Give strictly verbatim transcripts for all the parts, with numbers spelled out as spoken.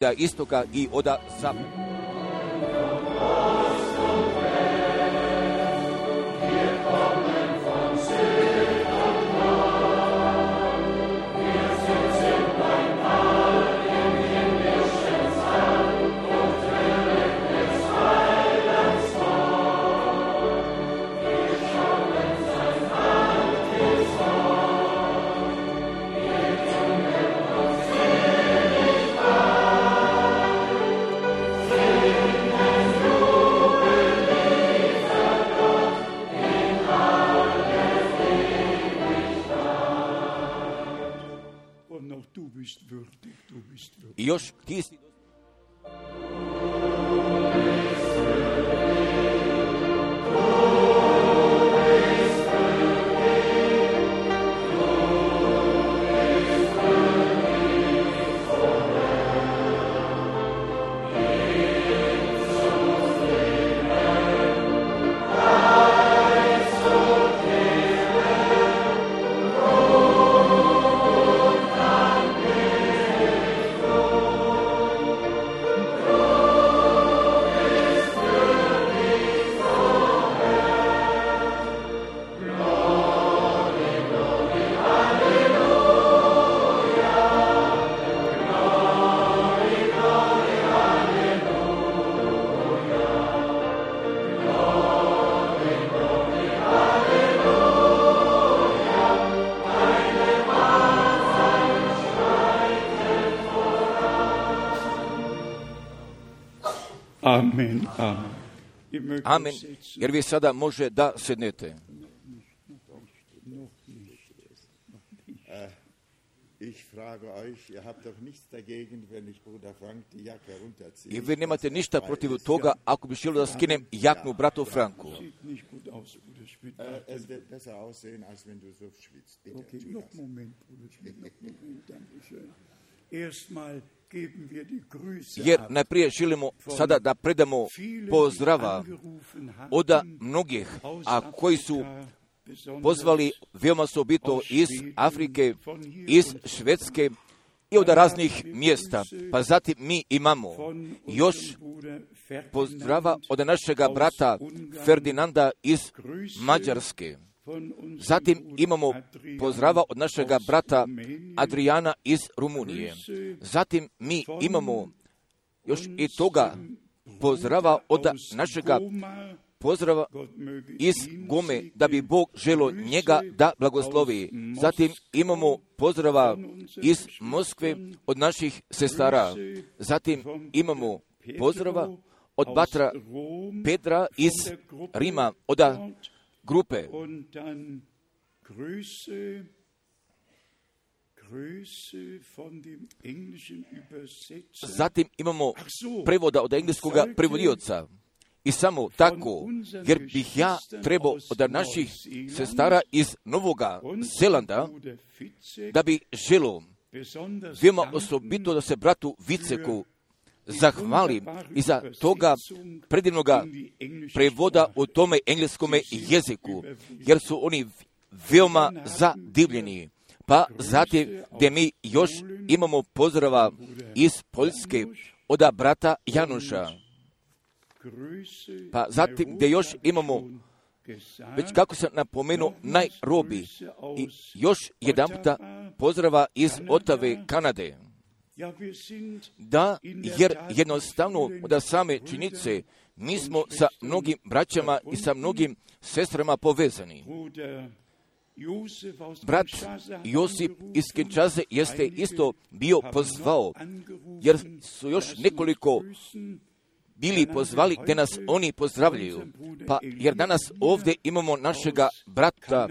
od istoka i od zapada. I još ti si Amen, amen. Amen, jer vi sada može da sednete. I vi nemate ništa protiv toga ako bi želio da skinem jaknu bratu Franku. Jer najprije želimo sada da predamo pozdrava od mnogih, a koji su pozvali veoma osobito iz Afrike, iz Švedske i od raznih mjesta. Pa zatim mi imamo još pozdrava od našega brata Ferdinanda iz Mađarske. Zatim imamo pozdrava od našega brata Adriana iz Rumunije. Zatim mi imamo još i toga pozdrava od našega pozdrava iz Gome, da bi Bog želo njega da blagoslovi. Zatim imamo pozdrava iz Moskve od naših sestara. Zatim imamo pozdrava od brata Petra iz Rima, od grupe. Zatim imamo prevoda od engleskog prevodioca. I samo tako, jer bih ja trebao od naših sestara iz Novoga Zelanda, da bi želo veoma osobito da se bratu Viceku zahvalim i za toga predivnoga prevoda u tome engleskome jeziku, jer su oni veoma zadivljeni. Pa zatim gdje mi još imamo pozdrava iz Poljske od brata Januša. Pa zatim gdje još imamo, već kako sam napomenuo, Nairobi i još jedan puta pozdrava iz Otave, Kanade. Da, jer jednostavno od same činjenice mi smo sa mnogim braćama i sa mnogim sestrama povezani. Brat Josip iz Kinshase jeste isto bio pozvao, jer su još nekoliko bili pozvali gdje nas oni pozdravljaju. Pa jer danas ovdje imamo našega brata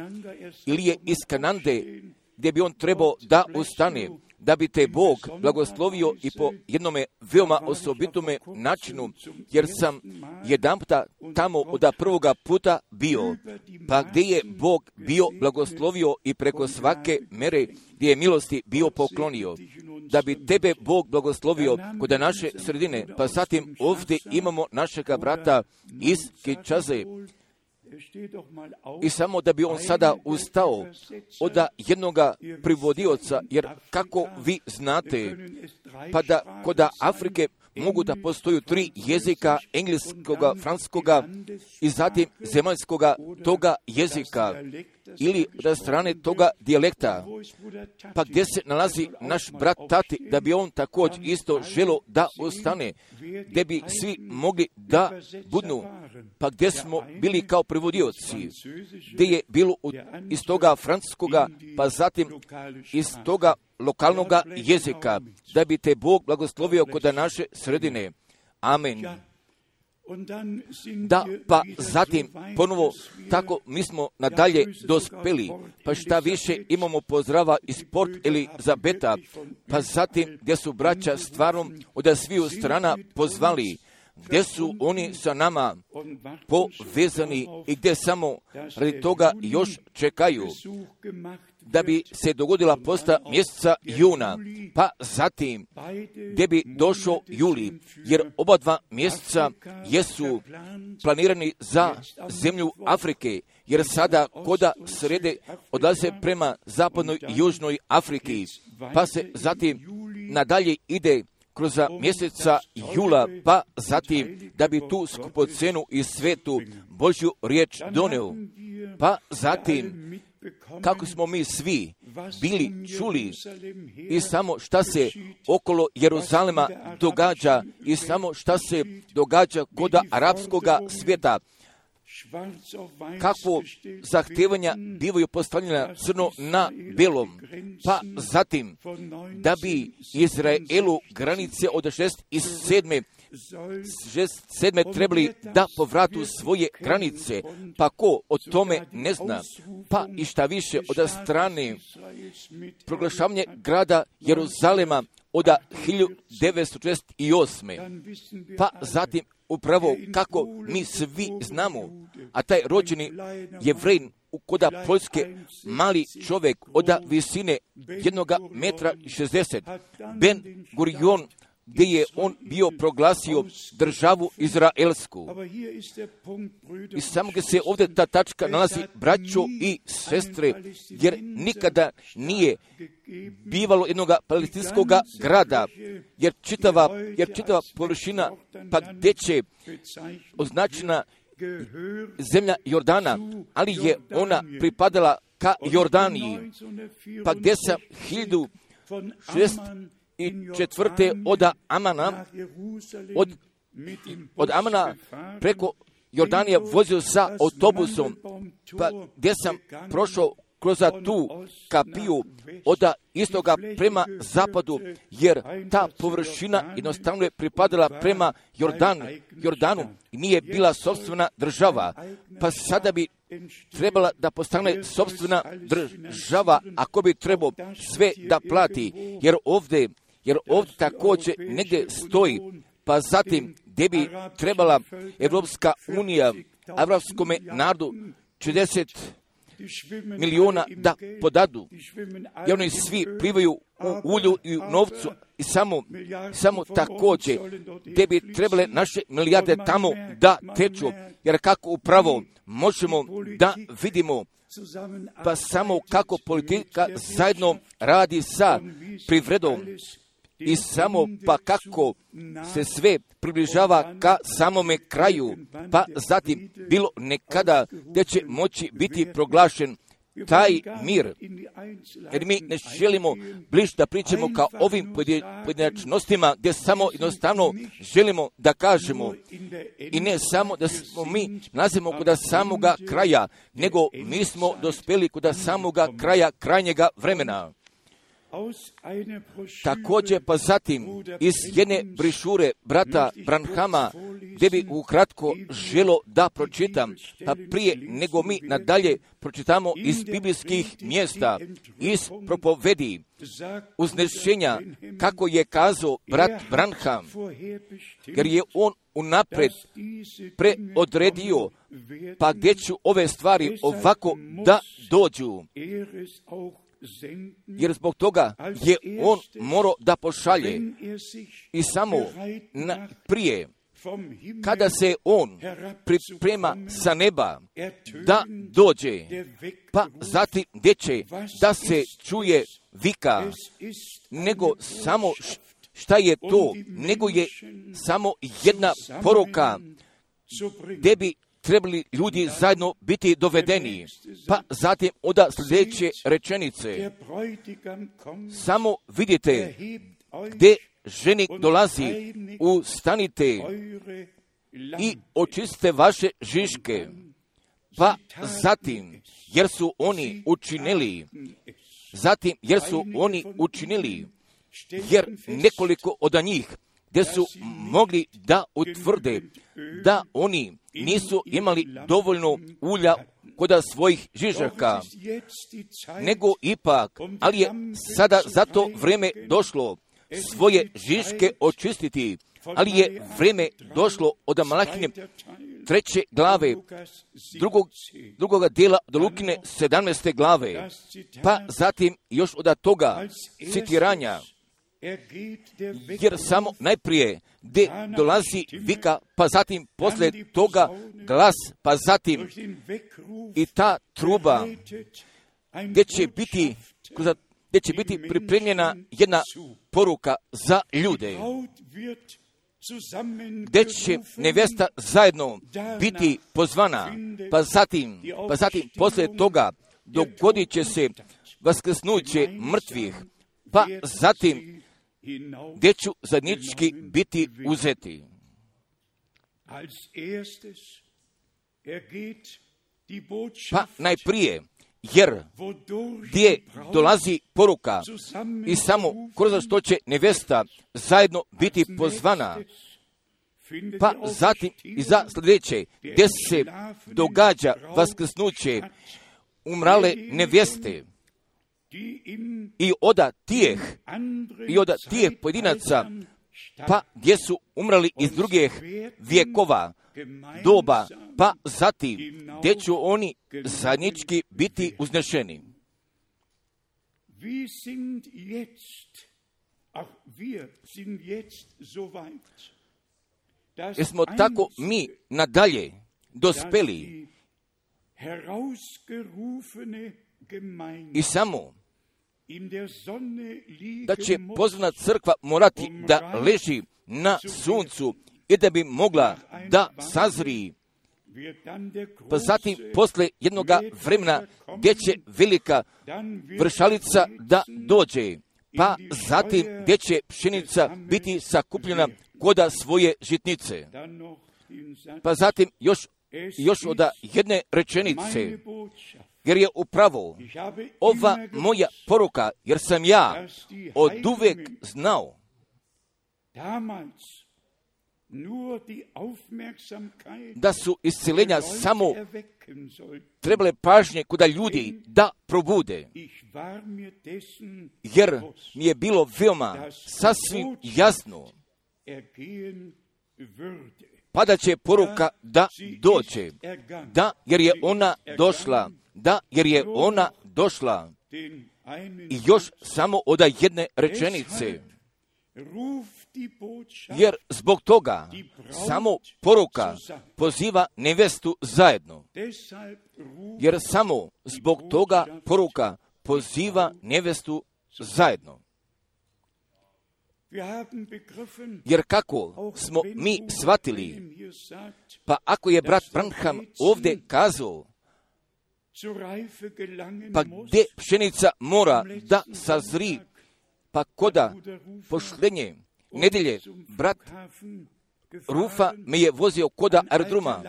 Ilije iz Kanade, gdje bi on trebao da ustane, da bi te Bog blagoslovio i po jednome veoma osobitome načinu, jer sam jedan puta tamo od prvoga puta bio, pa gdje je Bog bio blagoslovio i preko svake mere gdje je milosti bio poklonio, da bi tebe Bog blagoslovio kod naše sredine. Pa zatim ovdje imamo našega brata iz Kinshase, I samo da bi on sada ustao od jednoga privodioca, jer kako vi znate, pa da kod Afrike mogu da postoju tri jezika, engleskoga, francuskoga i zatim zemaljskoga toga jezika, ili da strane toga dijalekta, pa gdje se nalazi naš brat Tati, da bi on također isto želo da ostane, gdje bi svi mogli da budnu, pa gdje smo bili kao prevodioci, gdje je bilo iz toga francuskoga, pa zatim iz toga lokalnoga jezika, da bi te Bog blagoslovio kod naše sredine. Amen. Da, pa zatim ponovo tako mi smo nadalje dospeli, pa šta više imamo pozdrava iz Port Elizabeta, pa zatim gdje su braća stvarno od sviju strana pozvali, gdje su oni sa nama povezani i gdje samo radi toga još čekaju da bi se dogodila posta mjeseca juna, pa zatim gdje bi došao juli, jer oba dva mjeseca jesu planirani za zemlju Afrike, jer sada koda srede odlaze prema zapadnoj i južnoj Afriki, pa se zatim nadalje ide kroz mjeseca jula, pa zatim da bi tu skupocenu i svetu Božju riječ doneo, pa zatim kako smo mi svi bili čuli i samo šta se okolo Jeruzalema događa i samo šta se događa kod arapskoga svijeta, kakvo zahtevanja bivaju postavljena crno na belom, pa zatim da bi Izraelu granice od šest i sedme šest sedme trebali da povratu svoje granice, pa ko o tome ne zna, pa i šta više od strane proglašavanje grada Jeruzalema od hiljadu devetsto četrdeset osme. Pa zatim upravo kako mi svi znamo, a taj rođeni Jevrejin kod Poljske, mali čovjek od visine jednoga metra i šezdeset, Ben Gurion, gdje je on bio proglasio državu Izraelsku. I samo gdje se ovdje ta tačka nalazi, braćo i sestre, jer nikada nije bivalo jednoga palestinskog grada, jer čitava, jer čitava površina, pa gdje će označena zemlja Jordana, ali je ona pripadala ka Jordaniji, pa gdje sam hiljadu šest i četvrte od Amana, od, od Amana preko Jordanija vozio sa autobusom, pa gdje sam prošao kroz tu kapiju od istoga prema zapadu, jer ta površina jednostavno je pripadala prema Jordanu, Jordanu i nije bila sopstvena država, pa sada bi trebala da postane sopstvena država, ako bi trebao sve da plati, jer ovdje jer ovdje također negdje stoji, pa zatim gdje bi trebala Evropska unija evropskome narodu četrdeset milijuna da podadu, jer oni svi plivaju u ulju i u novcu i samo, samo također gdje bi trebale naše milijarde tamo da teču, jer kako upravo možemo da vidimo, pa samo kako politika zajedno radi sa privredom i samo pa kako se sve približava ka samome kraju, pa zatim bilo nekada gdje će moći biti proglašen taj mir. Jer mi ne želimo bliže da pričamo kao ovim pojedinačnostima gdje samo jednostavno želimo da kažemo i ne samo da smo mi nalazimo kod samoga kraja, nego mi smo dospeli kod samoga kraja krajnjega vremena. Također pa zatim iz jedne brišure brata Branhama, gdje bi ukratko želo da pročitam, pa prije nego mi nadalje pročitamo iz biblijskih mjesta, iz propovedi, uznešenja, kako je kazao brat Branham, jer je on unapred preodredio, pa gdje ću ove stvari ovako da dođu. Jer zbog toga je on morao da pošalje i samo na, prije kada se on priprema sa neba da dođe, pa zatim gdje će da se čuje vika, nego samo šta je to, nego je samo jedna poruka gdje bi trebali ljudi zajedno biti dovedeni. Pa zatim onda sljedeće rečenice. Samo vidite gdje ženik dolazi, ustanite i očistite vaše žiške. Pa zatim, jer su oni učinili, zatim jer su oni učinili, jer nekoliko od njih gdje su mogli da utvrde da oni nisu imali dovoljno ulja kod svojih žižaka, nego ipak, ali je sada za to vrijeme došlo svoje žiške očistiti, ali je vrijeme došlo od Malahine treće glave, drugog, drugoga dijela do Lukine sedamnaeste glave, pa zatim još od toga citiranja, jer samo najprije gdje dolazi vika, pa zatim poslije toga glas, pa zatim i ta truba gdje će biti, gdje će biti pripremljena jedna poruka za ljude, gdje će nevjesta zajedno biti pozvana, pa zatim, pa zatim poslije toga dogodit će se vaskrsnuće mrtvih, pa zatim gdje ću zajednički biti uzeti. Pa najprije, jer gdje dolazi poruka i samo kroz što će nevjesta zajedno biti pozvana, pa zatim i za sljedeće, gdje se događa vaskrsnuće umrale nevjeste, i oda tijeh, i oda tijeh pojedinaca, pa gdje su umrali iz drugih vjekova, doba, pa zatim gdje ću oni zajednički biti uznešeni. Jesmo tako mi nadalje dospeli i samo da će pozvana crkva morati da leži na suncu i da bi mogla da sazri, pa zatim posle jednoga vremena gdje će velika vršalica da dođe, pa zatim gdje će pšenica biti sakupljena koda svoje žitnice. Pa zatim još, još od jedne rečenice, jer je upravo ova moja poruka, jer sam ja od uvek znao da su isceljenja samo trebale pažnje kuda ljudi da probude, jer mi je bilo veoma sasvim jasno pa da će poruka da dođe, da jer je ona došla, da jer je ona došla. I još samo od jedne rečenice, jer zbog toga samo poruka poziva nevjestu zajedno, jer samo zbog toga poruka poziva nevjestu zajedno. Jer kako smo mi shvatili, pa ako je brat Branham ovdje kazao, pa gdje pšenica mora da sazri, pa koda pošlenje nedelje, brat Rufa me je vozio koda aerodroma,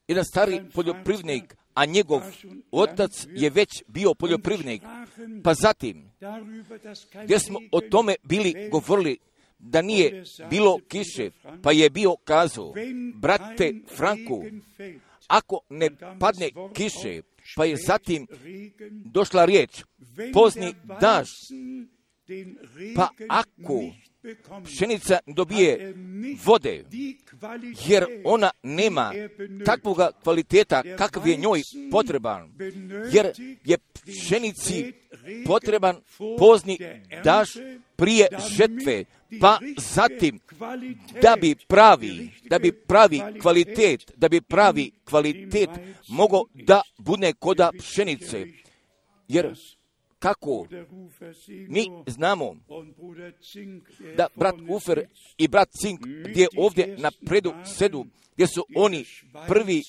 jedan stari poljoprivrednik, a njegov otac je već bio poljoprivrednik. Pa zatim, gdje smo o tome bili govorili, da nije bilo kiše, pa je bio kazao, brate Franku, ako ne padne kiše, pa je zatim došla riječ, pozni daž, pa ako pšenica dobije vode, jer ona nema takvoga kvaliteta kakav je njoj potreban, jer je pšenici potreban pozni daž, prije žetve, pa zatim da bi pravi, da bi pravi kvalitet, da bi pravi kvalitet mogao da bude koda pšenice. Jer kako mi znamo da brat Ufer i brat Cink gdje ovdje na predu sedu, gdje su oni prvi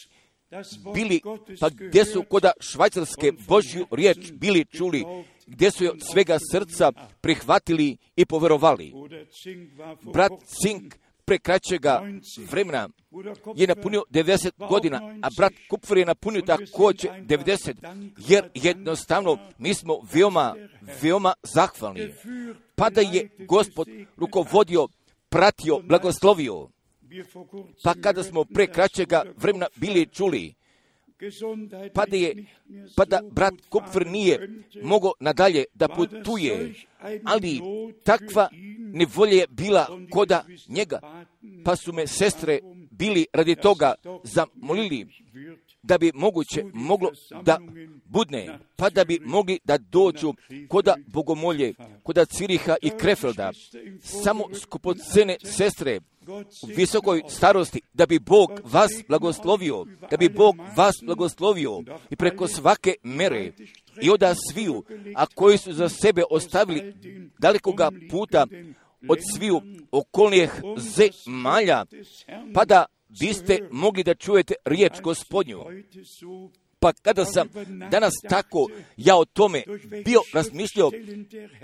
bili, pa gdje su koda Švajcarske Božju riječ bili čuli, gdje su je od svega srca prihvatili i poverovali. Brat Cink pre kraćega vremena je napunio devedeset godina, a brat Kupfer je napunio također devedeset, jer jednostavno mi smo veoma, veoma zahvalni. Pa da je Gospod rukovodio, pratio, blagoslovio. Pa kada smo pre kraćega vremena bili čuli, pa da, je, pa da brat Kupfer nije mogao nadalje da putuje, ali takva nevolja je bila koda njega, pa su me sestre bili radi toga zamolili da bi moguće moglo da budne, pa da bi mogli da dođu koda Bogomolje, koda Ciriha i Krefelda, samo skupocene sestre u visokoj starosti, da bi Bog vas blagoslovio, da bi Bog vas blagoslovio i preko svake mere i oda sviju, a koji su za sebe ostavili dalekoga puta od sviju okolnih zemalja, pa da biste mogli da čujete riječ Gospodnju. Pa kada sam danas tako ja o tome bio razmišljao,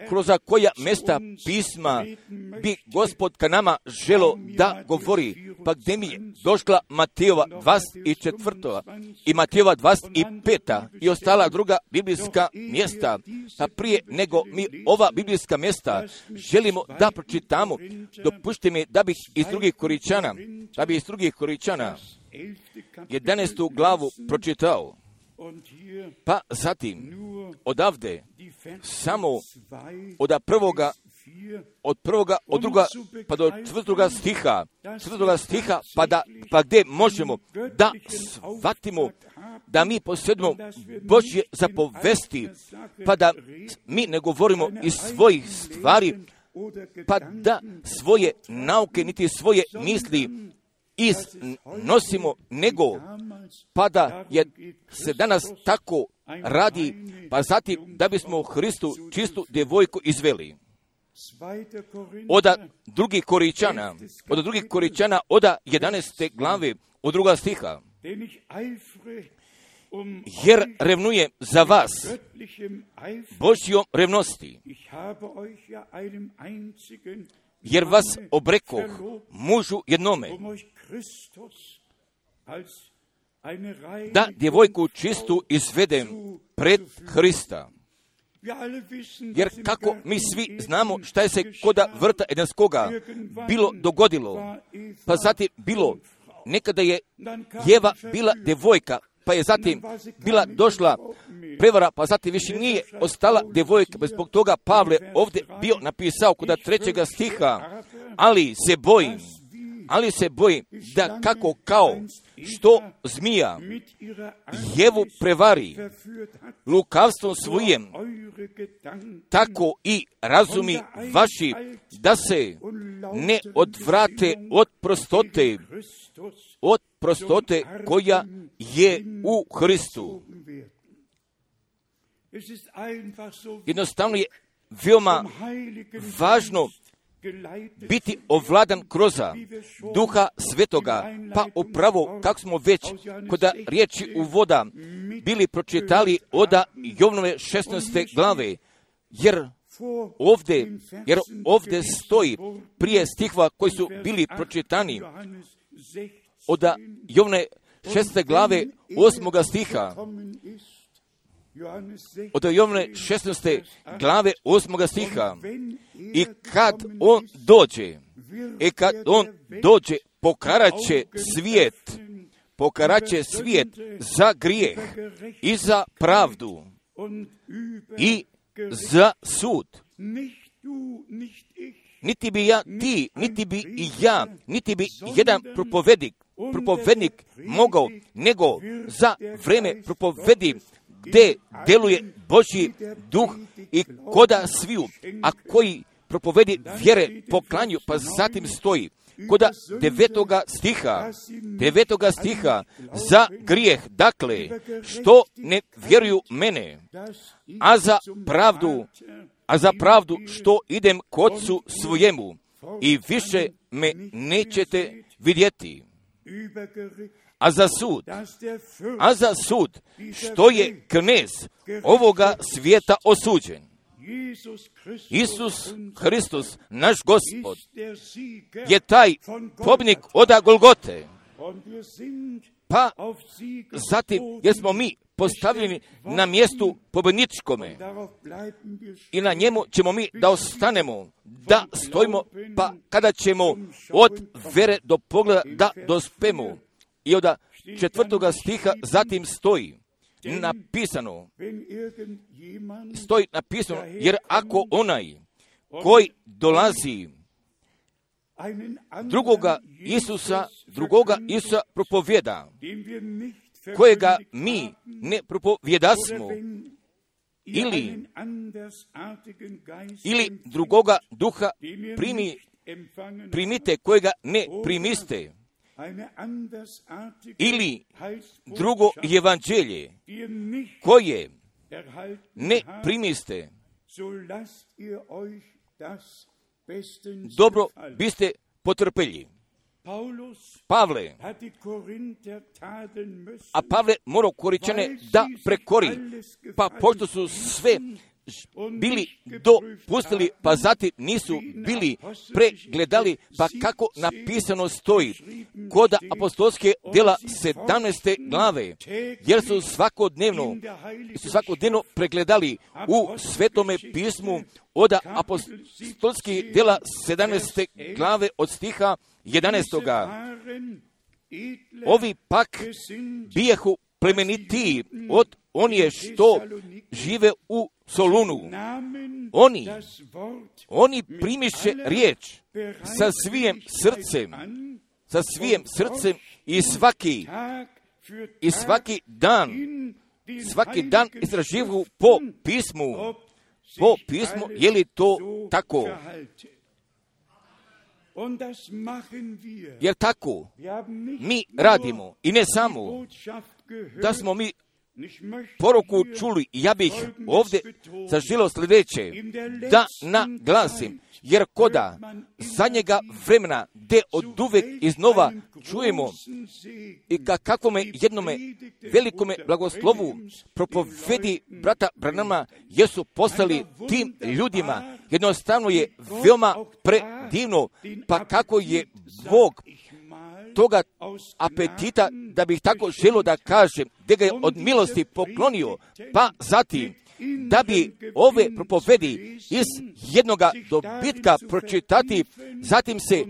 kroz koja mjesta pisma bi Gospod ka nama želo da govori, pa gdje mi je došla Matejova dvadeset četvrta i Matejova dvadeset peta i ostala druga biblijska mjesta, pa prije nego mi ova biblijska mjesta želimo da pročitamo, dopušte mi da bih iz drugih Koričana, da bih iz drugih Koričana jedanaestu glavu pročitao. Pa zatim, odavde, samo od prvoga, od prvoga, od druga, pa do četvrtoga stiha, četvrtoga stiha, pa, da, pa gdje možemo da shvatimo da mi posjedimo Božje zapovesti, pa da mi ne govorimo iz svojih stvari, pa da svoje nauke niti svoje misli iznosimo, nego pa da je se danas tako radi, pa zatim da bismo Hristu čistu djevojku izveli. Oda drugih Koričana, od drugih Koričana, oda jedanaeste glave, od druga stiha. Jer revnuje za vas Božjom revnosti, jer vas obrekoh mužu jednome, da djevojku čistu izvedem pred Hrista. Jer kako mi svi znamo šta je se koda vrta Edenskoga bilo dogodilo, pa zatim bilo, nekada je Jeva bila djevojka, pa je zatim bila došla prevara, pa zatim više nije ostala djevojka, bez zbog toga Pavle ovdje bio napisao kod trećega stiha, ali se bojim, ali se bojim da kako kao što zmija Jevu prevari lukavstvom svojem, tako i razumi vaši da se ne odvrate od prostote, od prostote koja je u Hristu. Jednostavno je veoma važno biti ovladan kroz Duha Svetoga, pa upravo kako smo već kod riječi uvoda bili pročitali od Jovnove šesnaeste glave, jer ovdje, jer ovdje stoji prije stihova koji su bili pročitani od Jovne šeste glave osmoga stiha, od Jovne šesnaeste glave osmoga stiha, i kad on dođe, i kad on dođe, pokaraće svijet, pokaraće svijet za grijeh i za pravdu i za sud. Niti bi ja, ti, niti bi i ja, niti bi jedan propovednik, propovednik mogao, nego za vreme propovedi gdje deluje Božji duh i koda sviju, a koji propovedi vjere po klanju, pa zatim stoji kod devetoga stiha, devetoga stiha, za grijeh, dakle, što ne vjeruju mene, a za pravdu, a za pravdu što idem k Otcu svojemu i više me nećete vidjeti. A za sud, a za sud, što je knez ovoga svijeta osuđen. Isus Hristos, naš Gospod, je taj pobjednik oda Golgote. Pa zatim, jer smo mi postavljeni na mjestu pobjedničkome i na njemu ćemo mi da ostanemo, da stojimo, pa kada ćemo od vere do pogleda da dospemo. I od četvrtoga stiha zatim stoji napisano, stoji napisano, jer ako onaj koji dolazi drugoga Isusa, drugoga Isusa propovjeda, kojega mi ne propovjedasmo, ili, ili drugoga duha primi, primite, kojega ne primiste, ili drugo evanđelje koje ne primiste, dobro biste potrpeli. Pavle, a Pavle morao Koričane da prekori, pa pošto su sve bili dopustili, pa zatim nisu bili pregledali, pa kako napisano stoji kod apostolske djela sedamnaeste glave, jer su svakodnevno, su svakodnevno pregledali u Svetome pismu od apostolskih djela sedamnaeste glave od stiha jedanaestoga. Ovi pak bijehu plemenitiji od onije što žive u Solunu. Oni, oni primiše riječ sa svijim srcem, sa svijim srcem i svaki, i svaki dan, svaki dan istraživu po pismu, po pismu, je li to tako? Jer tako mi radimo i ne samo da smo mi poruku čuli, ja bih ovdje zaželio sljedeće, da naglasim, jer koda zadnjega vremena, gdje od uvek iznova čujemo i ka kakvome jednome velikome blagoslovu propovedi brata Branhama, jesu postali tim ljudima, jednostavno je veoma predivno, pa kako je Bog toga apetita, da bih tako želio da kažem, da ga je od milosti poklonio, pa zatim da bi ove propovedi iz jednoga dobitka pročitati, zatim se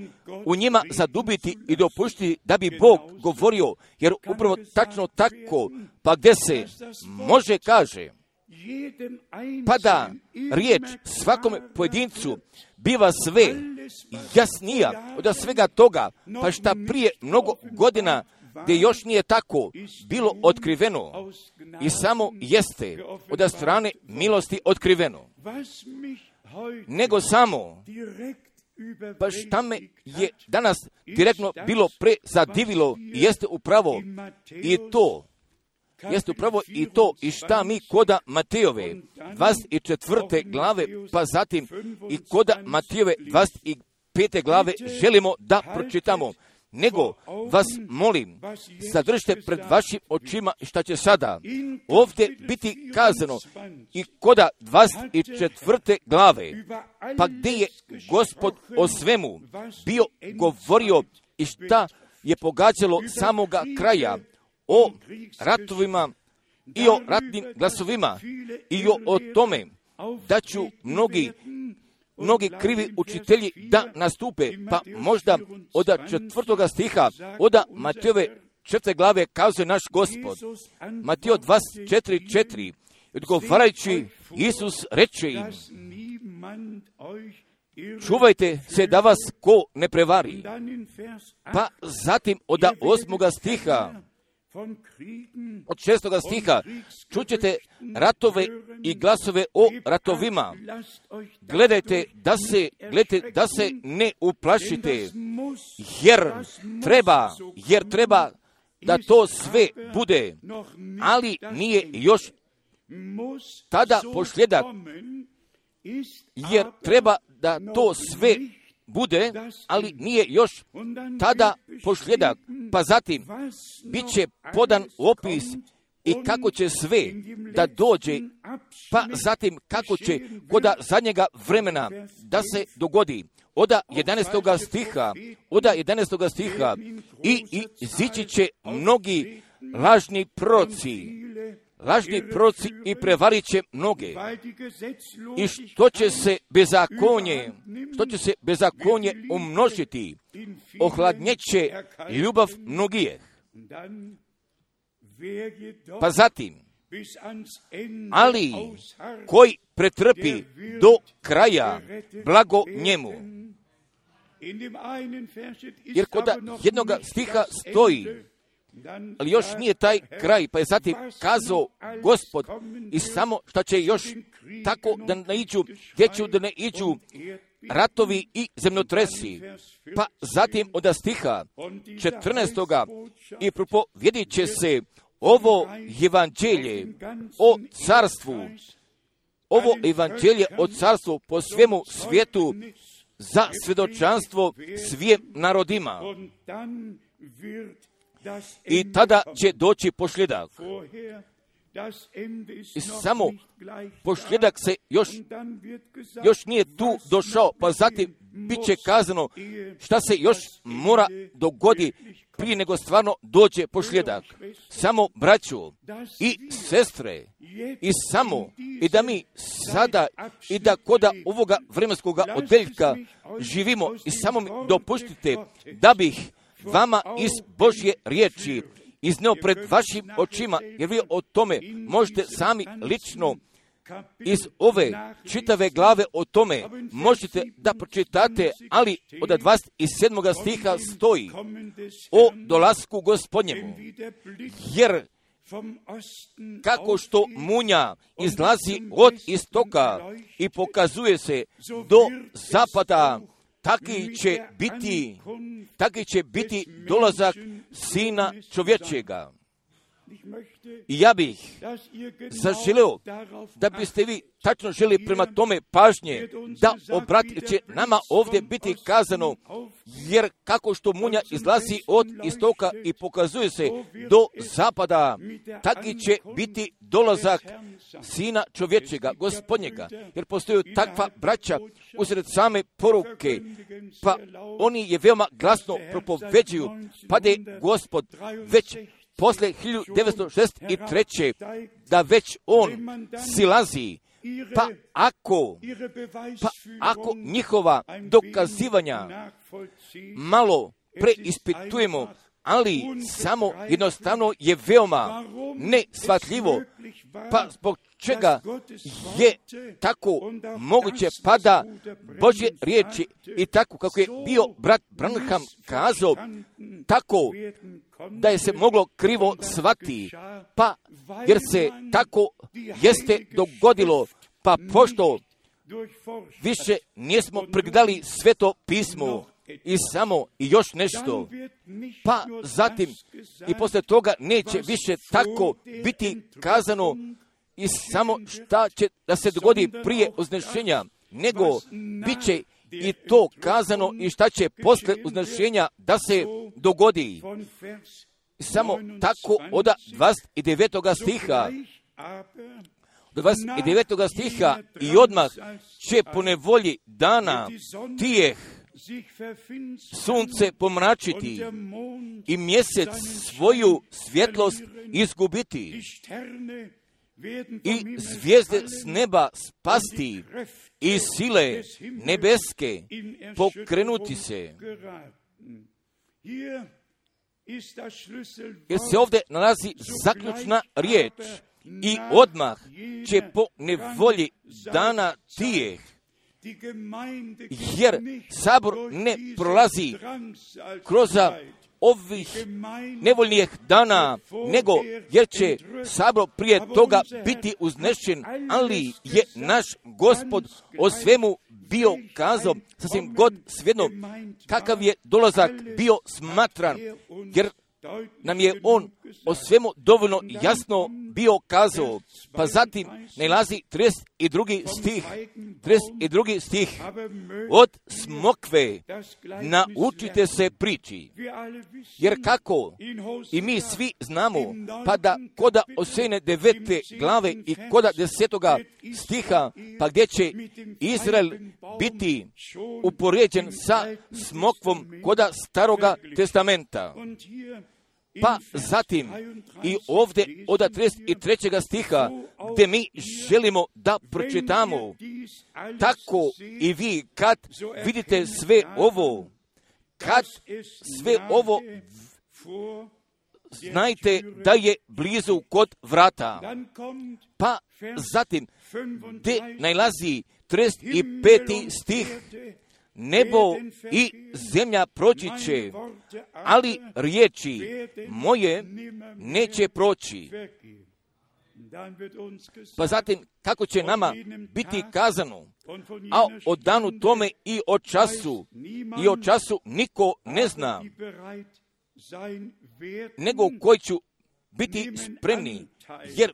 u njima zadubiti i dopuštiti da bi Bog govorio, jer upravo tačno tako, pa gdje se može kaže, pa da riječ svakome pojedincu biva sve jasnija od svega toga, pa šta prije mnogo godina gdje još nije tako bilo otkriveno i samo jeste od strane milosti otkriveno. Nego samo, pa šta me je danas direktno bilo prezadivilo, jeste upravo i to, jeste upravo i to i šta mi koda Matejove dvadeset četvrte glave, pa zatim i koda Matejove dvadeset pete glave želimo da pročitamo. Nego vas molim, zadržite pred vašim očima šta će sada ovdje biti kazano i koda dvadeset četvrte glave, pa gdje je Gospod o svemu bio govorio i šta je pogađalo samoga kraja, o ratovima i o ratnim glasovima i o, o tome da ću mnogi mnogi krivi učitelji da nastupe, pa možda od četvrtoga stiha, od Matejove četvrte glave kazuje naš Gospod. Mateo dvadeset četiri četiri, odgovarajući Isus reče im, čuvajte se da vas ko ne prevari. Pa zatim od osmoga stiha, od šestoga stiha, čućete ratove i glasove o ratovima. Gledajte da se, gledajte da se ne uplašite, jer treba, jer treba da to sve bude, ali nije još tada posljedak, jer treba da to sve bude, ali nije još tada posljedak. Pa zatim bit će podan opis i kako će sve da dođe, pa zatim kako će koda zadnjega vremena da se dogodi. Oda jedanaestoga stiha, oda jedanaestoga stiha, i, i izići će mnogi lažni proroci, lažni proroci i prevarit će mnoge. I što će se bezakonje, što će se bezakonje umnožiti, ohladnjeće ljubav mnogih. Pa zatim, ali koji pretrpi do kraja, blago njemu. Jer kod jednog stiha stoji, ali još nije taj kraj, pa je zatim kazao Gospod, i samo što će još tako da ne iđu, gdje će da ne iđu ratovi i zemljotresi. Pa zatim od stiha četrnaestoga i propovjedit će se ovo evanđelje o carstvu, ovo evanđelje o carstvu po svemu svijetu za svjedočanstvo svim narodima. I tada će doći posljedak. I samo posljedak se još, još nije tu došao, pa zatim bit će kazano šta se još mora dogoditi prije nego stvarno dođe posljedak. Samo braćo i sestre, i samo, i da mi sada, i da koda ovoga vremenskoga odjeljka živimo, i samo mi dopuštite da bih vama iz Božje riječi izneo pred vašim očima, jer vi o tome možete sami lično iz ove čitave glave o tome možete da pročitate, ali od dvadeset sedmog stiha stoji o dolasku Gospodnjemu, jer kako što munja izlazi od istoka i pokazuje se do zapada, taki će biti, taki će biti dolazak Sina čovječega. I ja bih zaželeo da biste vi tačno želi prema tome pažnje, da obratite će nama ovdje biti kazano, jer kako što munja izlazi od istoka i pokazuje se do zapada, taki će biti dolazak Sina čovječega, Gospodnjega, jer postoji takva braća usred same poruke, pa oni je veoma glasno propoveđuju, pa da je Gospod već posle hiljadu devetsto šezdeset treće da već on silazi, pa ako, pa ako njihova dokazivanja malo preispitujemo, ali samo jednostavno je veoma neshvatljivo, pa zbog čega je tako moguće pada Božje riječi i tako kako je bio brat Branham kazao, tako da je se moglo krivo shvati, pa jer se tako jeste dogodilo, pa pošto više nismo pregledali Sveto pismo i samo i još nešto, pa zatim i posle toga neće više tako biti kazano i samo šta će da se dogodi prije uznešenja, nego bit će i to kazano i šta će posle uznešenja da se dogodi. Samo tako od dvadeset devetog stiha, do dvadeset devetog stiha i odmah će po nevolji dana tijeh sunce pomračiti i mjesec svoju svjetlost izgubiti i zvijezde s neba spasti i sile nebeske pokrenuti se. Jer se ovdje nalazi zaključna riječ i odmah će po nevolji dana tijeh, jer sabor ne prolazi kroz ovih nevoljnijih dana, nego jer će sabor prije toga biti uznešen, ali je naš Gospod o svemu bio kazao, sasvim god svejedno kakav je dolazak bio smatran, jer nam je on o svemu dovoljno jasno bio kazao. Pa zatim nalazi trideset drugi stih, trideset drugi stih, od smokve naučite se priči, jer kako i mi svi znamo, pa da koda Osejne devete glave i koda desetoga stiha, pa gdje će Izrael biti upoređen sa smokvom koda Staroga testamenta. Pa zatim i ovdje od trideset trećeg stiha gdje mi želimo da pročitamo, tako i vi kad vidite sve ovo, kad sve ovo znajte da je blizu kod vrata. Pa zatim gdje nalazi trideset peti stih, nebo i zemlja proći će, ali riječi moje neće proći. Pa zatim, kako će nama biti kazano, a o danu tome i o času, i o času niko ne zna, nego koji ću biti spremni, jer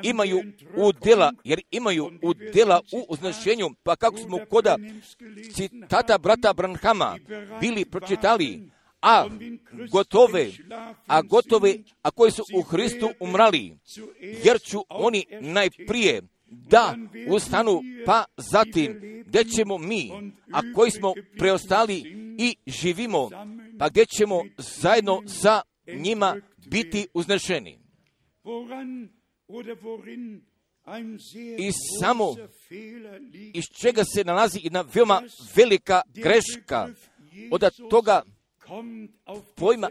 imaju udjela, jer imaju udjela u uznešenju, pa kako smo koda citata brata Branhama bili pročitali, a gotove, a gotove, a koji su u Hristu umrali, jer ću oni najprije da ustanu, pa zatim gdje ćemo mi, a koji smo preostali i živimo, pa gdje ćemo zajedno sa njima biti uznešeni. I samo iz čega se nalazi jedna veoma velika greška od toga pojma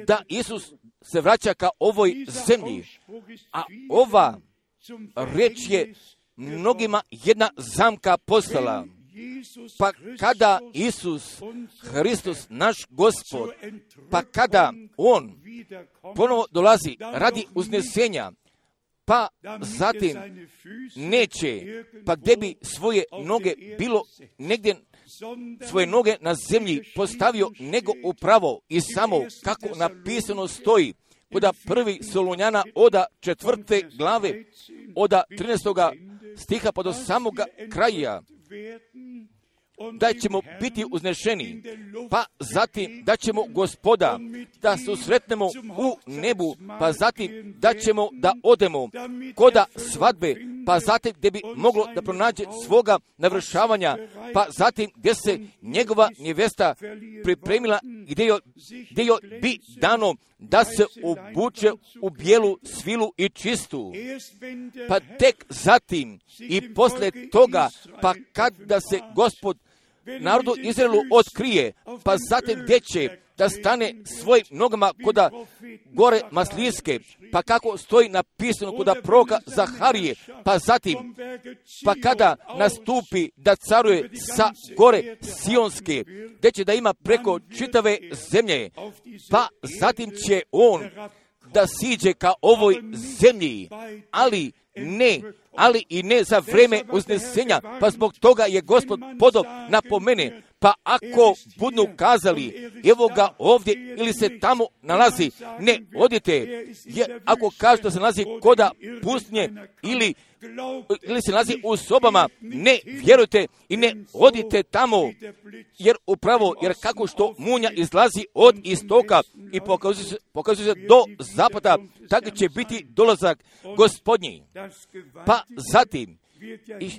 da Isus se vraća ka ovoj zemlji, a ova reč je mnogima jedna zamka postala. Pa kada Isus Hristos, naš Gospod, pa kada On ponovo dolazi radi uznesenja, pa zatim neće, pa gdje bi svoje noge bilo negdje, svoje noge na zemlji postavio, nego upravo i samo kako napisano stoji, koda prvi Solunjana oda četvrte glave, oda trinaestoga stiha pa do samoga kraja, da ćemo biti uznešeni, pa zatim da ćemo Gospoda da susretnemo u nebu, pa zatim da ćemo da odemo koda svadbe, pa zatim gdje bi moglo da pronađe svoga navršavanja, pa zatim gdje se njegova nevesta pripremila, gdje joj, gdje joj bi dano da se obuče u bijelu svilu i čistu. Pa tek zatim i posle toga, pa kada se Gospod narodu Izraelu otkrije, pa zatim gdje će da stane svojim nogama koda gore Maslijske, pa kako stoji napisano koda proroka Zaharije, pa zatim, pa kada nastupi da caruje sa gore Sionske, gdje će da ima preko čitave zemlje, pa zatim će on da siđe ka ovoj zemlji, ali ne, ali i ne za vreme uznesenja, pa zbog toga je Gospod podao napomene, pa ako budu kazali, evo ga ovdje ili se tamo nalazi, ne odite, jer ako kažu da se nalazi koda pustinje ili, ili se nalazi u sobama, ne vjerujte i ne odite tamo, jer upravo, jer kako što munja izlazi od istoka i pokazuje se, pokazuje se do zapada, tako će biti dolazak Gospodnji. Pa zatim, i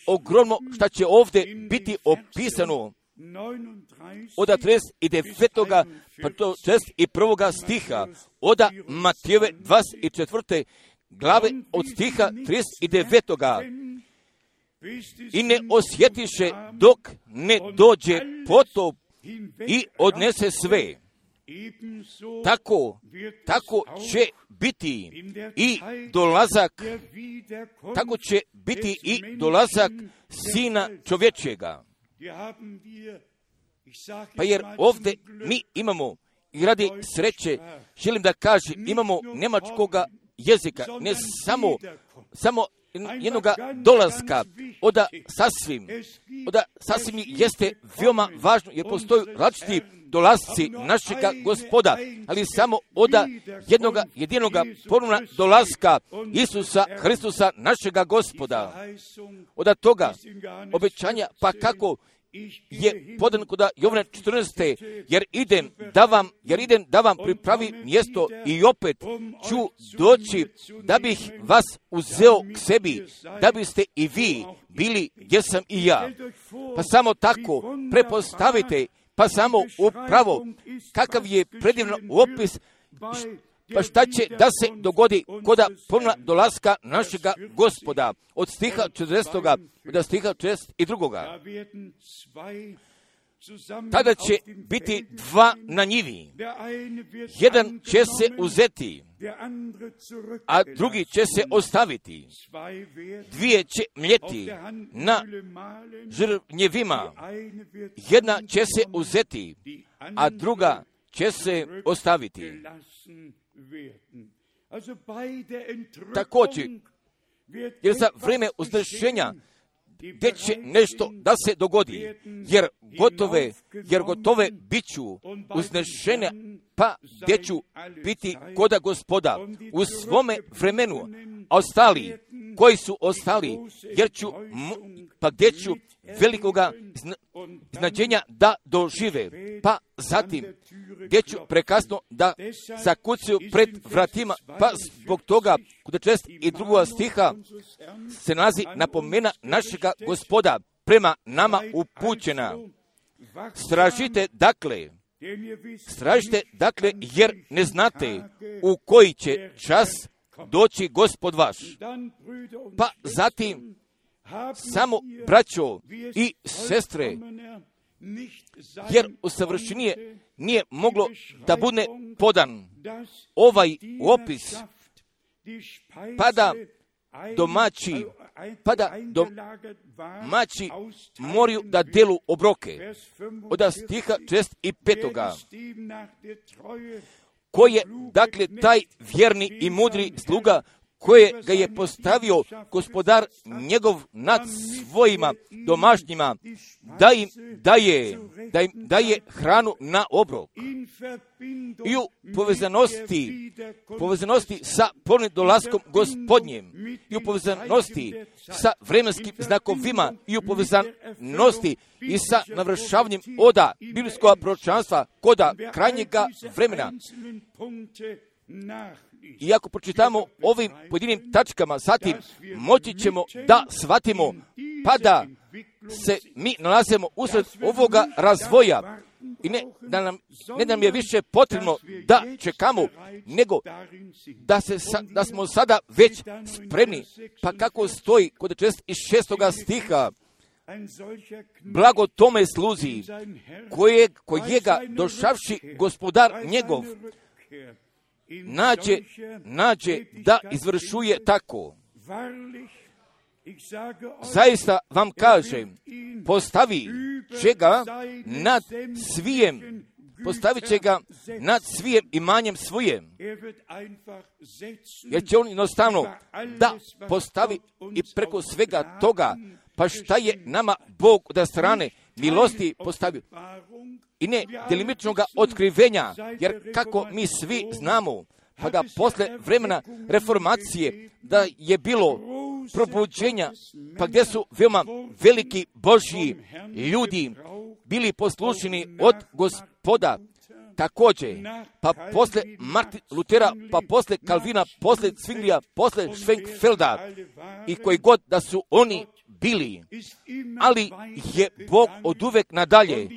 ogromno šta će ovdje biti opisano od trideset devetoga pa do četrdeset prvoga stiha, od Matijeve dvadeset četvrte glave od stiha trideset devetoga i ne osjetiše dok ne dođe potop i odnese sve. Tako, tako će biti i dolazak, tako će biti i dolazak Sina čovječjega. Pa jer ovdje mi imamo I radi sreće želim da kažem, imamo njemačkoga jezika, ne samo, samo jednoga dolaska, oda sasvim, oda sasvim jeste veoma važno, jer postoju različiti dolasci našega Gospoda, ali samo oda jednoga jedinoga ponovna dolaska Isusa Hristusa našega Gospoda. Oda toga obećanja, pa kako je podan kod Jovana četrnaeste, jer idem da vam, jer idem da vam pripravi mjesto i opet ću doći da bih vas uzeo k sebi, da biste i vi bili gdje sam i ja. Pa samo tako prepostavite, pa samo upravo kakav je predivan opis, pa šta će da se dogodi koda ponovna dolaska našega Gospoda od stiha četrdesetog do stiha četrdeset drugog. Tada će biti dva na njivi. Jedan će se uzeti, a drugi će se ostaviti. Dvije će mljeti na žrvnjevima. Jedna će se uzeti, a druga će se ostaviti. Također, jer za vrijeme uzdrženja gdje će nešto da se dogodi, jer gotove, jer gotove biću uznešenja, pa gdje ću biti koda Gospoda u svome vremenu, a ostali, koji su ostali, jer ću, pa gdje ću velikoga značenja da dožive, pa zatim gdje ću prekasno da zakucaju pred vratima, pa zbog toga kod četrdeset drugog stiha se nalazi napomena našega Gospoda prema nama upućena. Stražite dakle, stražite dakle, jer ne znate u koji će čas doći Gospod vaš. Pa zatim samo braćo i sestre, jer usavršenije nije moglo da bude podan ovaj opis, pa da domaći, pa da domaći moraju da delu obroke. Od stiha četrdeset petog Ko je, dakle, taj vjerni i mudri sluga koje ga je postavio Gospodar njegov nad svojima domašnjima, da im daje, da im daje hranu na obrok. I u povezanosti, povezanosti sa ponovnim dolaskom Gospodnjem, i u povezanosti sa vremenskim znakovima, i u povezanosti i sa navršavanjem oda biblijskog proročanstva koda krajnjega vremena. I ako pročitamo ovim pojedinim tačkama, zatim moći ćemo da shvatimo, pa da se mi nalazimo usred ovoga razvoja i ne da nam, ne da nam je više potrebno da čekamo, nego da, se, da smo sada već spremni. Pa kako stoji kod četrdeset šestog stiha, blago tome sluzi koje, kojega došavši Gospodar njegov nađe, nađe da izvršuje tako. Zaista vam kažem, postavi će ga nad svijem, postavit će ga nad svijem imanjem svojem. Jer će on jednostavno da postavi i preko svega toga, pa šta je nama Bog od strane milosti postavio. I ne delimičnog otkrivenja, jer kako mi svi znamo, pa da posle vremena reformacije da je bilo probuđenja, pa gdje su veoma veliki Božji ljudi bili poslušni od Gospoda, također, pa posle Martin Lutera, pa posle Kalvina, posle Zwinglija, posle Schwenkfelda i koji god da su oni bili, ali je Bog od uvek nadalje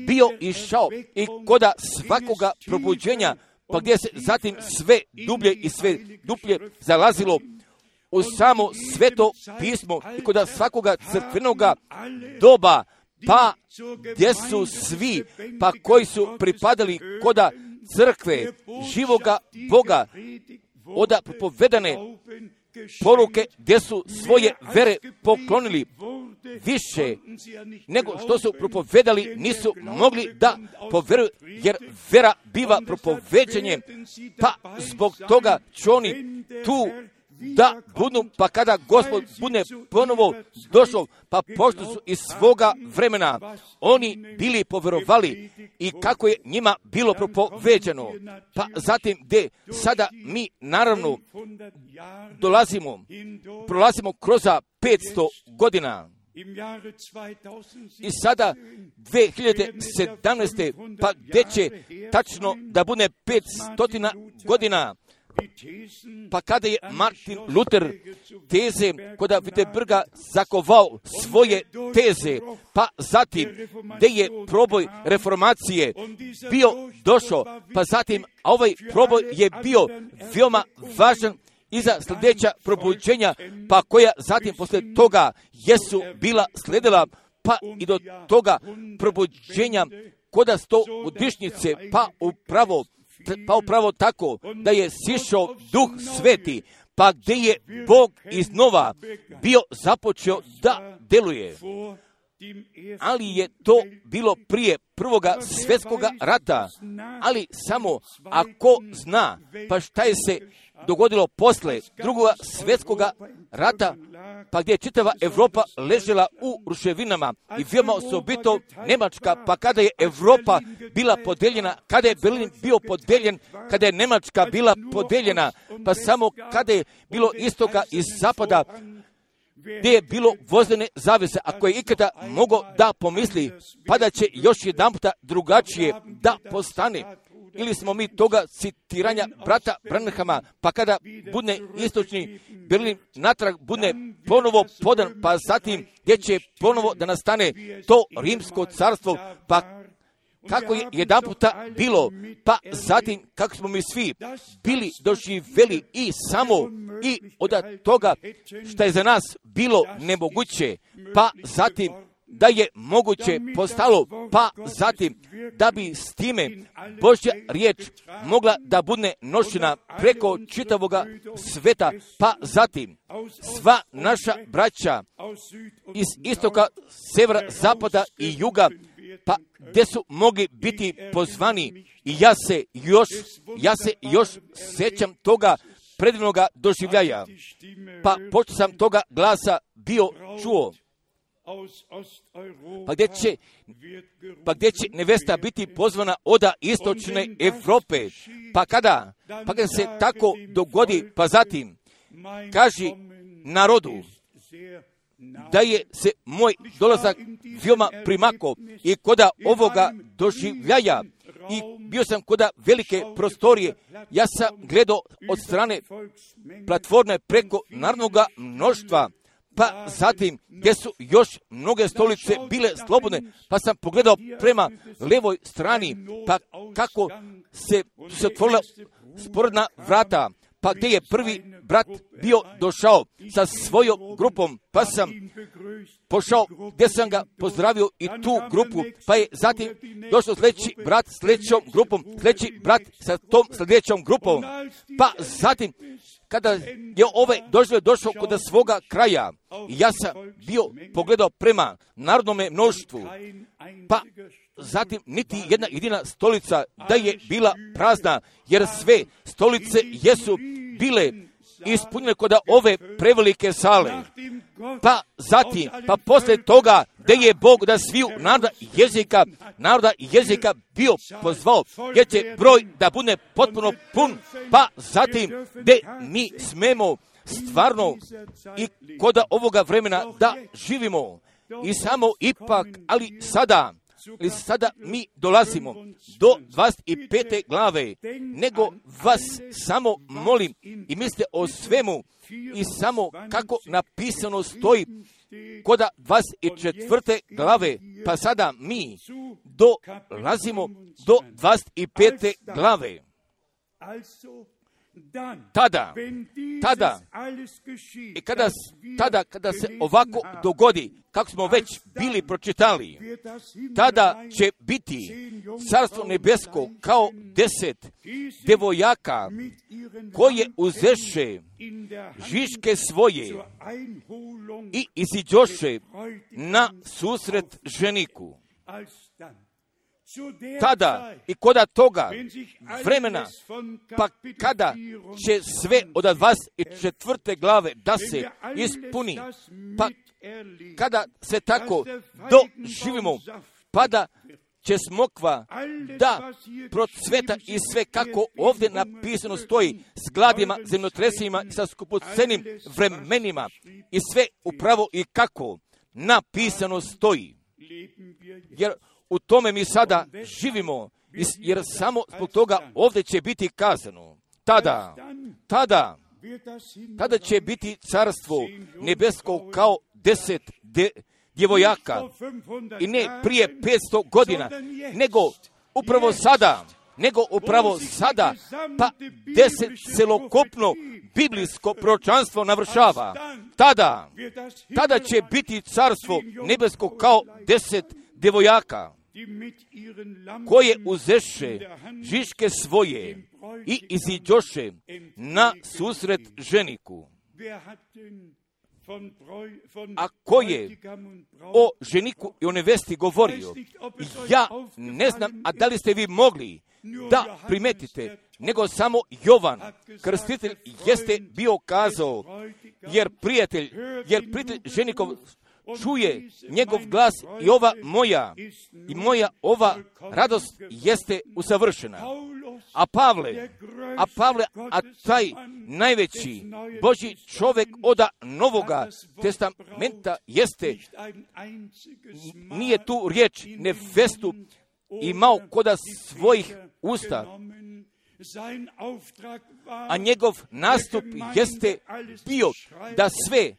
bio išao i koda svakoga probuđenja, pa gdje se zatim sve dublje i sve dublje zalazilo u samo sveto pismo i koda svakoga crkvenoga doba, pa gdje su svi, pa koji su pripadali koda crkve živoga Boga, oda propovedane poruke gdje su svoje vere poklonili, više nego što su propovedali, nisu mogli da poveruju, jer vera biva propoveđenjem, pa zbog toga će oni tu da budu, pa kada Gospod bude ponovo došao, pa pošto su iz svoga vremena oni bili poverovali i kako je njima bilo propoveđeno, pa zatim gdje sada mi naravno dolazimo, prolazimo kroz petsto godina. I sada dvije hiljade sedamnaeste. pa gdje će tačno da bude petsto godina, pa kada je Martin Luther teze kod Wittenberga zakovao svoje teze, pa zatim gdje je proboj reformacije bio došao, pa zatim a ovaj proboj je bio veoma važan i za sljedeća probuđenja, pa koja zatim poslije toga jesu bila sledila, pa i do toga probuđenja koda sto godišnjice, pa upravo pa upravo tako da je sišao Duh Sveti, pa gdje je Bog iznova bio započeo da deluje. Ali je to bilo prije prvoga svjetskoga rata, ali samo ako zna, pa šta je se dogodilo posle drugoga svjetskoga rata, pa gdje je čitava Evropa ležela u ruševinama i veoma osobito Njemačka, pa kada je Evropa bila podeljena, kada je Berlin bio podeljen, kada je Njemačka bila podeljena, pa samo kada je bilo istoka i zapada, gdje je bilo vozdene zavese, ako je ikada mogo da pomisli, pa da će još jedan puta drugačije da postane. Ili smo mi toga citiranja brata Branhama, pa kada bude istočni Berlin natrag bude ponovo podan, pa zatim gdje će ponovo da nastane to rimsko carstvo, pa kako je jedan puta bilo, pa zatim kako smo mi svi bili doživjeli i samo i od toga što je za nas bilo nemoguće, pa zatim da je moguće postalo, pa zatim da bi s time Božja riječ mogla da bude nošena preko čitavoga sveta, pa zatim sva naša braća iz istoka, severa, zapada i juga, pa gdje su mogli biti pozvani, i ja se još, ja se još sjećam toga predivnoga doživljaja, pa pošto sam toga glasa bio čuo, pa gdje će, pa gdje će nevesta biti pozvana od istočne Evrope, pa kada, pa kada se tako dogodi, pa zatim kaži narodu da je se moj dolazak veoma primako i koda ovoga doživljaja, i bio sam koda velike prostorije, ja sam gledao od strane platforme preko narodnoga mnoštva, pa zatim gdje su još mnoge stolice bile slobodne, pa sam pogledao prema levoj strani, pa kako se, se otvorila sporedna vrata, pa gdje je prvi brat bio došao sa svojom grupom, pa sam pošao gdje sam ga pozdravio i tu grupu, pa je zatim došao sljedeći brat s sljedećom grupom, sljedeći brat sa tom sljedećom grupom, pa zatim kada je ovaj doživio došao kod svoga kraja, ja sam bio pogledao prema narodnome mnoštvu, pa zatim niti jedna jedina stolica da je bila prazna, jer sve stolice jesu bile ispunjene kod ove prevelike sale. Pa zatim, pa poslije toga, gdje je Bog da sviju naroda jezika, naroda jezika bio pozvao, gdje će broj da bude potpuno pun, pa zatim gdje mi smemo stvarno i kod ovoga vremena da živimo. I samo ipak, ali sada, ali sada mi dolazimo do dvadeset pete glave, nego vas samo molim i mislite o svemu i samo kako napisano stoji kod dvadeset četvrte glave, pa sada mi dolazimo do dvadeset pete glave. tada, tada, i kada, tada, kada se ovako dogodi, kako smo već bili pročitali, tada će biti Carstvo nebesko kao deset devojaka koje uzeše žiške svoje i iziđoše na susret ženiku. Tada i koda toga vremena, pa kada će sve od dvadeset četvrte glave da se ispuni, pa kada se tako doživimo, pa da će smokva da procveta i sve kako ovdje napisano stoji s gladima, zemljotresima i sa skupocenim vremenima i sve upravo i kako napisano stoji. Jer u tome mi sada živimo, jer samo zbog toga ovdje će biti kazano. Tada, tada, tada će biti Carstvo nebesko kao deset de, djevojaka. I ne prije petsto godina, nego upravo sada, nego upravo sada, pa deset celokupno biblijsko proročanstvo navršava. Tada, tada će biti Carstvo nebesko kao deset djevojaka, koje uzeše žiške svoje i iziđoše na susret ženiku. A ko je o ženiku i o nevesti govorio? Ja ne znam, a da li ste vi mogli da primetite, nego samo Jovan, krstitelj, jeste bio kazao, jer prijatelj, jer prijatelj ženikov čuje njegov glas i ova moja, i moja ova radost jeste usavršena. A Pavle, a Pavle, a taj najveći Božji čovjek oda Novoga testamenta jeste, nije tu riječ nevestu imao koda svojih usta, a njegov nastup jeste bio da sve,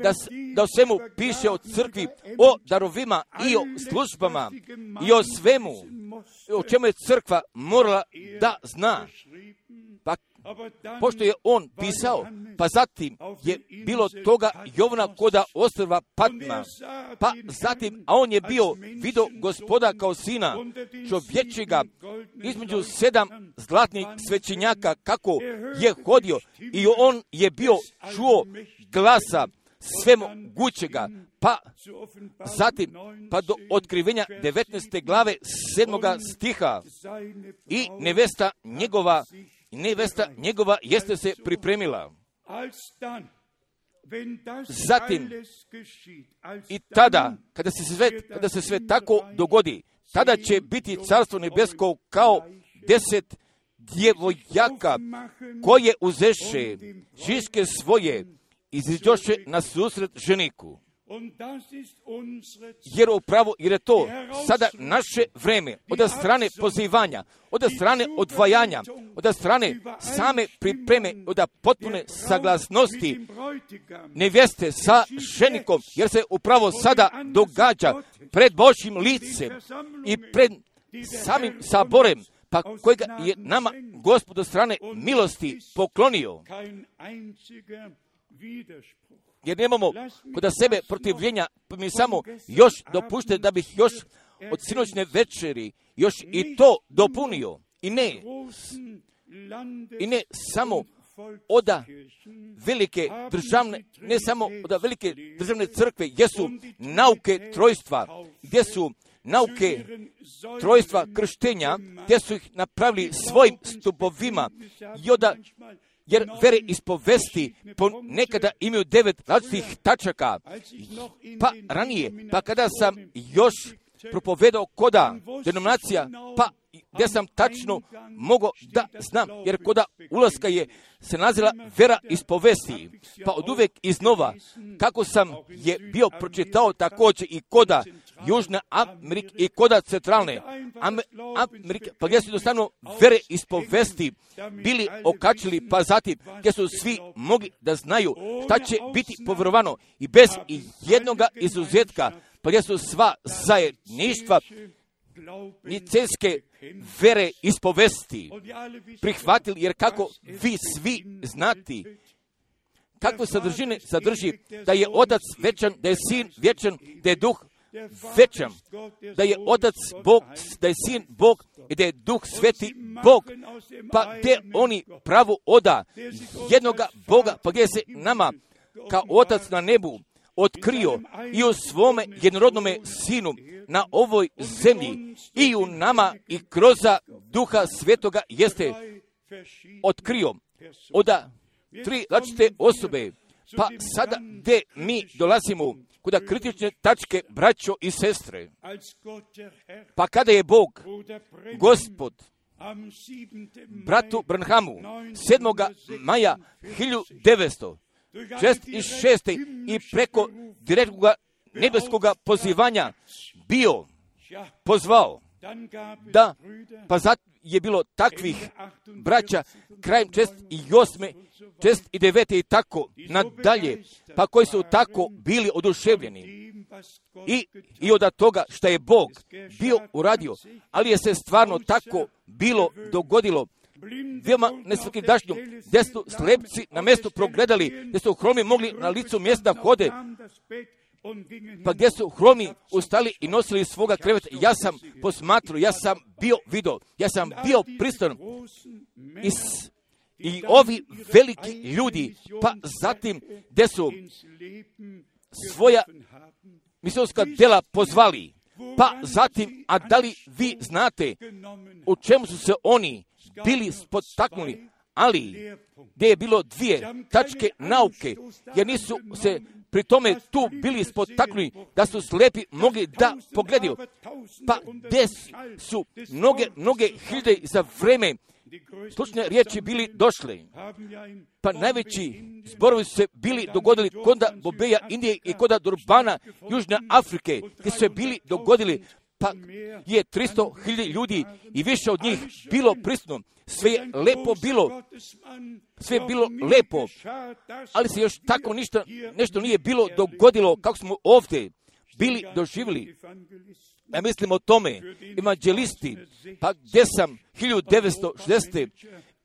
da, da o svemu piše o crkvi, o darovima i o službama i o svemu, o čemu je crkva morala da zna. Pa, pošto je on pisao, pa zatim je bilo toga Jovana koda ostrva Patma, pa zatim, a on je bio vidio Gospoda kao sina čovječega između sedam zlatnih svećenjaka kako je hodio i on je bio čuo glasa svemogućega, pa zatim, pa do otkrivenja devetnaeste glave sedmoga stiha i nevesta njegova, nevesta njegova jeste se pripremila. Zatim, i tada, kada se sve, kada se sve tako dogodi, tada će biti Carstvo nebesko kao deset djevojaka koje uzeše žiške svoje iziđoše na susret ženiku. Jer upravo, jer je to sada naše vreme, od strane pozivanja, od strane odvajanja, od strane same pripreme, od potpune saglasnosti nevjeste sa ženikom, jer se upravo sada događa pred Božjim licem i pred samim saborem, pa kojega je nama Gospod od strane milosti poklonio. Jer nemamo kod sebe protivljenja, pa mi samo još dopušte da bih još od sinoćne večeri još i to dopunio. I ne, i ne samo oda velike državne, ne samo oda velike državne crkve, gdje su nauke trojstva, gdje su nauke trojstva krštenja, gdje su ih napravili svojim stupovima i oda, jer vere ispovesti nekada imaju devet različitih tačaka. Pa ranije, pa kada sam još propovedao koda denominacija, pa gdje sam tačno mogao da znam, jer koda ulaska je se nazila vera ispovesti. Pa od uvijek iznova, kako sam je bio pročitao također i koda Južne Amerike i koda centralne Amerike, pa gdje su jednostavno vere ispovesti bili okačili, pa zatim gdje su svi mogli da znaju šta će biti povjerovano i bez i jednoga izuzetka, pa gdje su sva zajedništva nicenske vere ispovesti prihvatili, jer kako vi svi znati, kakve sadržine sadrži da je Otac večan, da je Sin vječan, da je Duh večan, da je Otac Bog, da je Sin Bog i da je Duh Sveti Bog. Pa gdje oni pravo oda jednoga Boga, pa gdje se nama kao Otac na nebu otkrio i u svome jednorodnome Sinu na ovoj zemlji i u nama i kroz Duha Svetoga jeste otkrio oda tri različite osobe. Pa sada gdje mi dolazimo kod kritične tačke, braćo i sestre, pa kada je Bog, Gospod, bratu Branhamu sedmog maja hiljadu devetsto šezdeset šeste i preko direktnog nebeskog pozivanja bio pozvao da, pa zato je bilo takvih braća krajem šezdeset osme, šezdeset devete i tako nadalje, pa koji su tako bili oduševljeni i, i od toga što je Bog bio uradio, ali je se stvarno tako bilo dogodilo. Veoma nesvakidašnju, gdje su slepci na mjestu progledali, gdje su hromi mogli na licu mjesta hode, pa gdje su hromi ustali i nosili svoga kreveta. Ja sam posmatrao, ja sam bio vidio, ja sam bio pristojan. I, I ovi veliki ljudi, pa zatim gdje su svoja misionska djela pozvali, pa zatim, a da li vi znate u čemu su se oni bili spotaknuli, ali gdje je bilo dvije tačke nauke, jer nisu se pri tome tu bili spotaknuli da su slepi mogli da pogledaju, pa gdje su mnoge, mnoge hiljade za vreme slučne riječi bili došle, pa najveći zborovi su se bili dogodili kod Bobeja, Indije i kod Durbana, Južne Afrike, gdje su se bili dogodili, pa je tristo hiljada ljudi i više od njih bilo prisutno. Sve je lepo bilo, sve je bilo lepo, ali se još tako ništa, nešto nije bilo dogodilo kako smo ovdje bili doživjeli. Ja mislim o tome, evanđelisti, pa gdje sam hiljadu devetsto šezdesete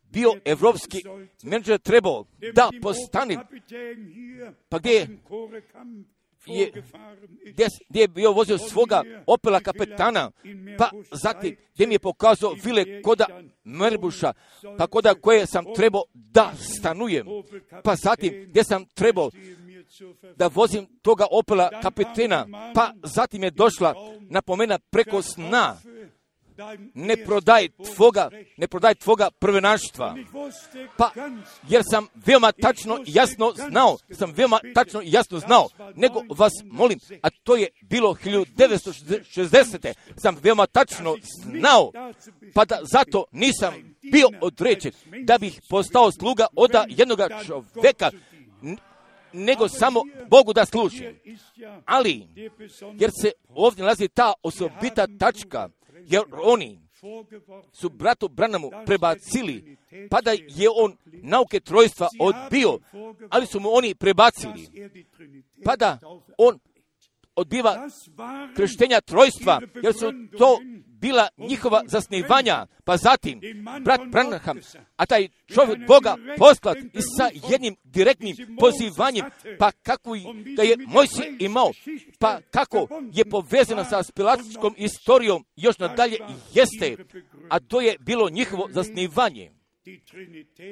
bio evropski menadžer trebao da postane, pa gdje je, je gdje, gdje je bio vozio svoga Opela kapetana, pa zatim gdje mi je pokazao vile koda Merbuša, pa koda koje sam trebao da stanujem, pa zatim gdje sam trebao da vozim toga Opela kapetana, pa zatim je došla napomena preko sna, ne prodaj tvoga, ne prodaj tvoga prvenaštva. Pa, jer sam veoma tačno i jasno znao, sam veoma tačno i jasno znao, nego vas molim, a to je bilo hiljadu devetsto šezdesete sam veoma tačno znao, pa da zato nisam bio određen da bih postao sluga od jednog čovjeka, nego samo Bogu da služim. Ali, jer se ovdje nalazi ta osobita tačka, jer oni su bratu Branhamu prebacili, pa da je on nauke trojstva odbio, ali su mu oni prebacili, pa da on odbiva krštenja trojstva, jer su to bila njihova zasnivanja, pa zatim brat Branham, a taj čovjek Boga poslat i sa jednim direktnim pozivanjem, pa kako da je Mojsije imao, pa kako je povezana sa spilatičkom istorijom još nadalje jeste, a to je bilo njihovo zasnivanje.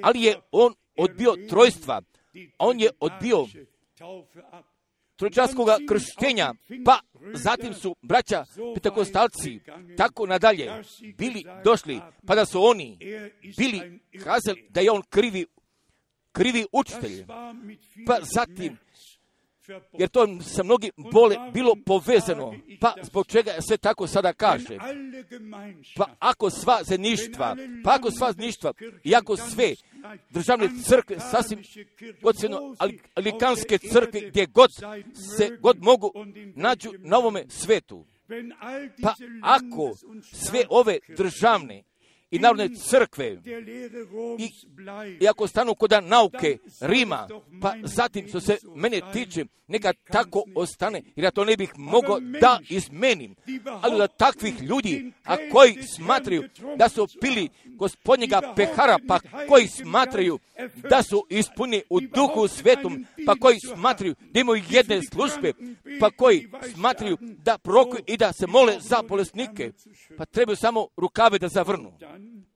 Ali je on odbio trojstva, on je odbio tročanskog krštenja, pa zatim su braća Pentekostalci tako nadalje bili došli, pa da su oni bili kazali da je on krivi, krivi učitelj, pa zatim, jer to sa mnogi bole bilo povezano, pa zbog čega se tako sada kaže, pa ako sva zajedništva, pa ako sva zajedništva i ako sve državne crkve, sasvim ocjeno alikanske crkve, gdje god se god mogu nađu na ovome svetu, pa ako sve ove državne i narodne crkve, i, i ako stanu kod nauke Rima, pa zatim što se mene tiče, neka tako ostane, jer ja to ne bih mogao da izmenim. Ali da takvih ljudi, a koji smatraju da su pili gospodnjega pehara, pa koji smatraju da su ispuni u duhu svetom, pa koji smatraju da imaju jedne službe, pa koji smatraju da prorokuju i da se mole za bolesnike, pa trebaju samo rukave da zavrnu.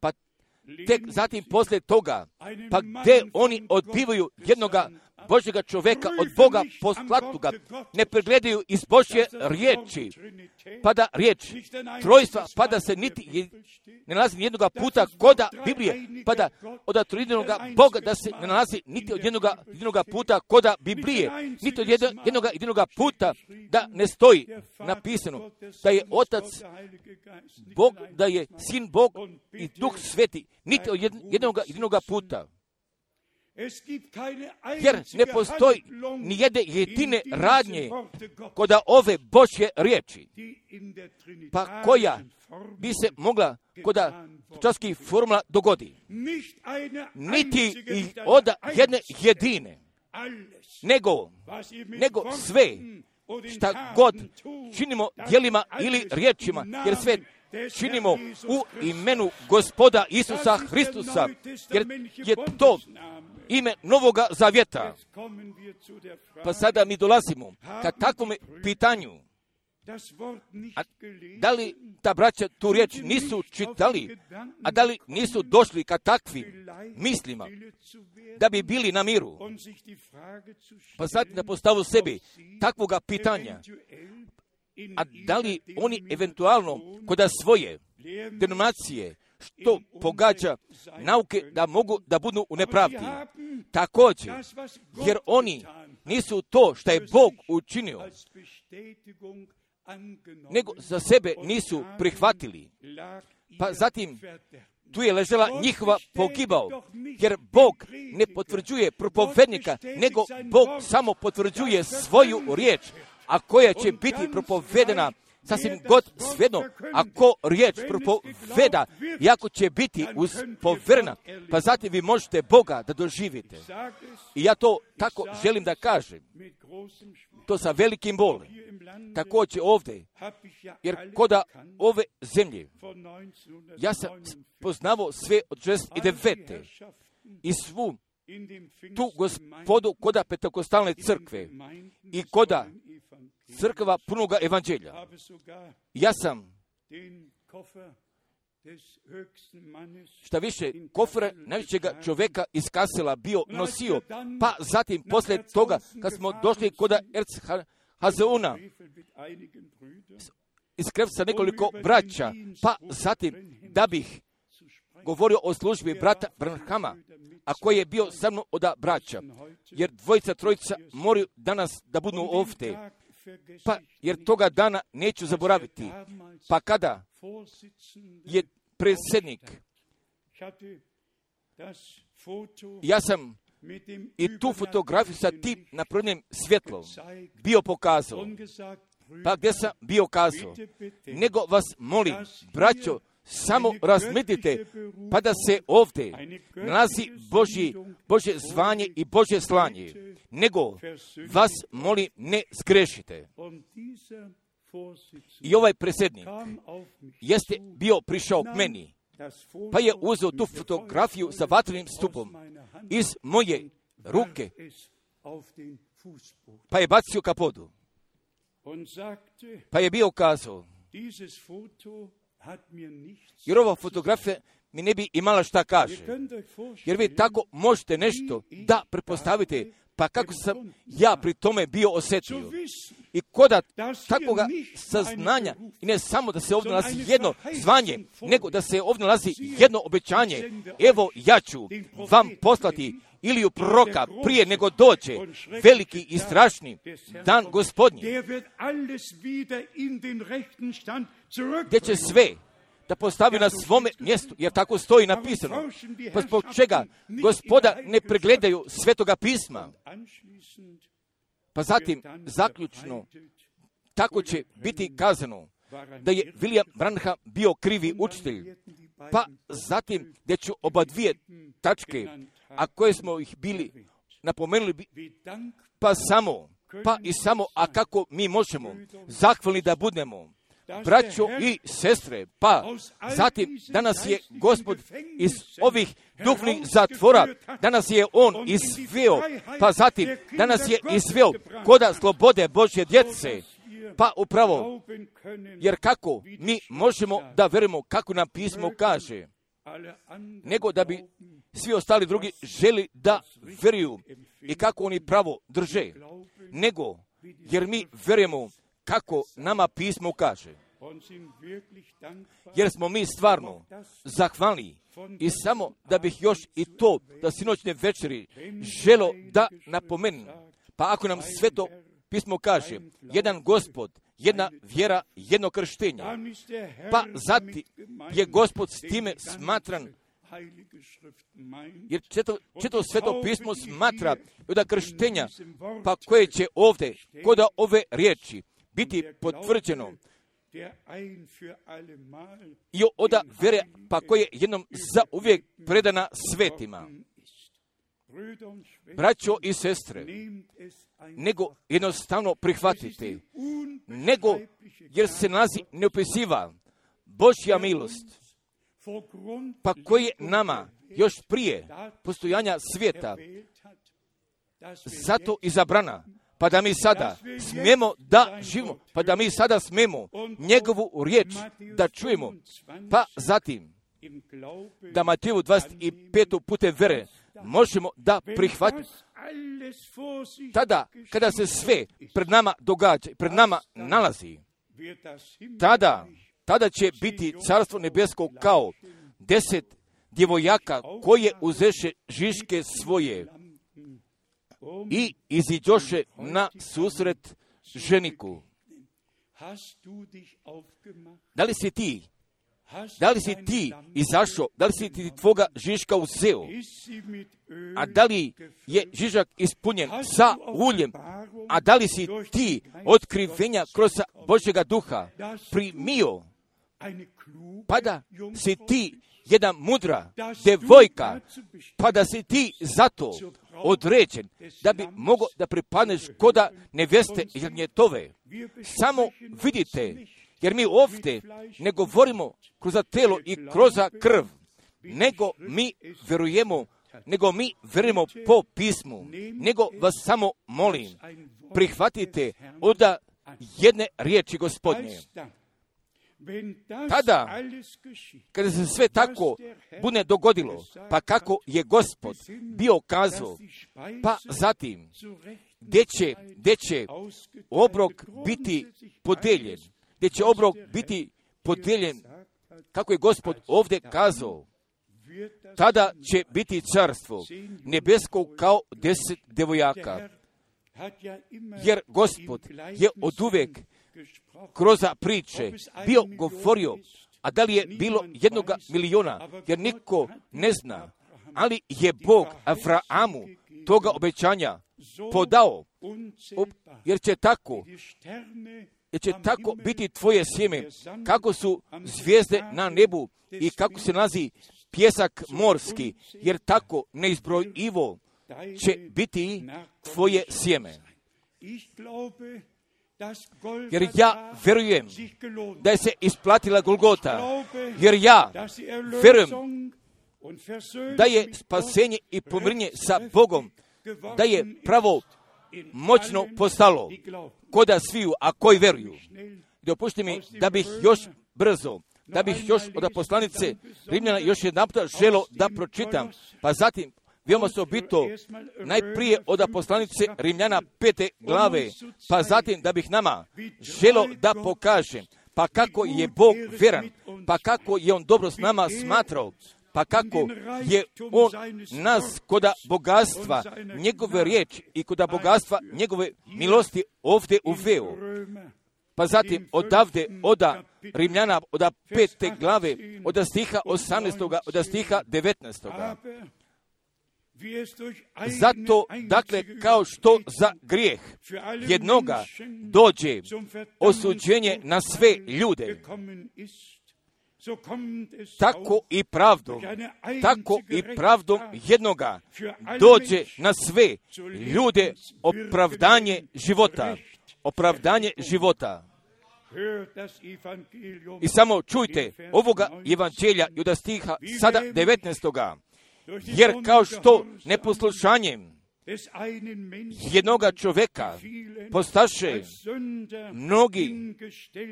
Pa tek zatim poslije toga, pa gdje oni odbivaju jednoga Božjega čoveka od Boga poslatuga, ne pregledaju iz Božje riječi, pa da riječ trojstva, pa da se niti ne nalazi jednoga puta koda Biblije, pa da od trojnoga Boga da se ne nalazi niti od jednoga, jednoga puta koda Biblije, niti od jednoga, jednoga puta da ne stoji napisano da je Otac Bog, da je Sin Bog i Duh Sveti, niti od jednoga, jednoga puta. Jer ne postoji ni jedne jedine radnje koda ove Božje riječi, pa koja bi se mogla koda časkih formula dogodi. Niti i od jedne jedine, nego, nego sve šta god činimo djelima ili riječima, jer sve činimo u imenu Gospoda Isusa Hristusa, jer je to ime Novoga Zavjeta. Pa sada mi dolazimo ka takvom pitanju. A da li ta braća tu riječ nisu čitali, a da li nisu došli ka takvim mislima da bi bili na miru? Pa sad da postavu sebi takvoga pitanja. A da li oni eventualno kod svoje denominacije što pogađa nauke da mogu da budu u nepravdi? Također, jer oni nisu to što je Bog učinio, nego za sebe nisu prihvatili. Pa zatim tu je ležela njihova pogibao, jer Bog ne potvrđuje propovednika, nego Bog samo potvrđuje svoju riječ, a koja će biti propovedena sasvim god svejedno, ako riječ propoveda, jako će biti uspoverena, pa zatim vi možete Boga da doživite. I ja to tako želim da kažem, to sa velikim bolom. Također ovdje, jer koda ove zemlje, ja sam poznavao sve od šezdeset devete i svu tu gospodu koda Pentekostalne crkve i koda crkva punoga evanđelja. Ja sam šta više kofre najvećega čovjeka iz Kasela bio nosio, pa zatim poslije toga kad smo došli kod Erzhazeuna iskrevati sa nekoliko braća, pa zatim da bih govorio o službi brata Branhama, a koji je bio sa mnom od braća, jer dvojica, trojica moraju danas da budu ovdje. Pa, jer toga dana neću zaboraviti. Pa kada je predsjednik, ja sam i tu fotografiju sa tim napravljenim svjetlom bio pokazao. Pa gdje sam bio kazao, nego vas molim, braćo, samo razmislite, pa da se ovdje nalazi Božji, Božje zvanje i Božje slanje, nego vas molim ne zgrešite. I ovaj predsjednik jeste bio prišao k meni, pa je uzeo tu fotografiju sa vatrenim stupom iz moje ruke, pa je bacio ka podu. Pa je bio kazao, jer ova fotografija mi ne bi imala šta kaže. Jer vi tako možete nešto da pretpostavite, pa kako sam ja pri tome bio osjetio. I koda takvoga saznanja, i ne samo da se ovdje nalazi jedno zvanje, nego da se ovdje nalazi jedno obećanje. Evo ja ću vam poslati Iliju proroka prije nego dođe veliki i strašni dan Gospodnji, gdje će sve da postavi na svome mjestu, jer tako stoji napisano. Pa zbog čega Gospoda ne pregledaju Svetoga pisma? Pa zatim, zaključno, tako će biti kazano da je William Branham bio krivi učitelj, pa zatim gdje ću oba dvije tačke, a koje smo ih bili napomenuli, pa samo, pa i samo, a kako mi možemo zahvalni da budemo, braćo i sestre, pa zatim danas je Gospod iz ovih duhovnih zatvora, danas je On izveo, pa zatim danas je izveo koda slobode Božje djece, pa upravo, jer kako mi možemo da verujemo kako nam pismo kaže, nego da bi svi ostali drugi želi da veruju i kako oni pravo drže, nego jer mi verujemo kako nama pismo kaže. Jer smo mi stvarno zahvalni i samo da bih još i to da sinoćne večeri želo da napomenem, pa ako nam sveto pismo kaže jedan Gospod, jedna vjera, jedno krštenje, pa zatim je Gospod s time smatran, jer četo, četo sveto pismo smatra od krštenja, pa koje će ovdje, koda ove riječi, biti potvrđeno i oda vere, pa koje jednom za uvijek predana svetima. Braćo i sestre, nego jednostavno prihvatite, nego jer se nalazi neopisiva Božja milost, pa koje nama još prije postojanja svijeta zato izabrana, pa da mi sada smijemo da živimo, pa da mi sada smijemo njegovu riječ da čujemo, pa zatim da Mateju dvadeset pet putem vere možemo da prihvatimo. Tada, kada se sve pred nama događa, pred nama nalazi, tada, tada će biti carstvo nebesko kao deset djevojaka koje uzeše žiške svoje i iziđoše na susret ženiku. Da li si ti, da li si ti izašao, da li si ti tvoga žiška uzeo, a da li je žižak ispunjen sa uljem, a da li si ti otkrivenja kroz Božjega duha primio, pa da si ti jedna mudra devojka, pa da si ti zato određen, da bi mogao da pripadneš koda neveste Jagnjetove. Samo vidite, jer mi ovdje ne govorimo kroz telo i kroz krv, nego mi verujemo, nego mi verujemo po pismu, nego vas samo molim, prihvatite od jedne riječi Gospodnje. Tada, kada se sve tako bude dogodilo, pa kako je Gospod bio kazao, pa zatim, gdje će, gdje će obrok biti podeljen, gdje će obrok biti podijeljen, kako je Gospod ovdje kazao, tada će biti carstvo nebesko kao deset devojaka. Jer Gospod je oduvijek kroz priče bio govorio, a da li je bilo jednoga miliona, jer niko ne zna, ali je Bog Avrahamu toga obećanja podao, jer će tako, jer će tako biti tvoje sjeme, kako su zvijezde na nebu i kako se nalazi pjesak morski, jer tako neizbrojivo će biti tvoje sjeme. Jer ja verujem da je se isplatila Golgota, jer ja verujem da je spasenje i pomirenje sa Bogom, da je pravo moćno postalo koda sviju, a koji veruju. Dopušti mi da bih još brzo, da bih još od poslanice Rimljana još jedan puta želo da pročitam, pa zatim veoma se obito najprije od poslanice Rimljana pete glave, pa zatim da bih nama želo da pokažem, pa kako je Bog vjeran, pa kako je On dobro s nama smatrao, pa kako je On nas koda bogatstva njegove riječi i koda bogatstva njegove milosti ovdje uveo. Pa zatim odavde, oda Rimljana, oda pete glave, oda stiha osamnaestoga, oda stiha devetnaestoga. Zato, dakle, kao što za grijeh jednoga dođe osuđenje na sve ljude, tako i pravdom, tako i pravdom jednoga dođe na sve ljude opravdanje života, opravdanje života. I samo čujte ovoga evanđelja i od stiha sada devetnaestoga. Jer kao što neposlušanjem jednoga čovjeka postaše mnogi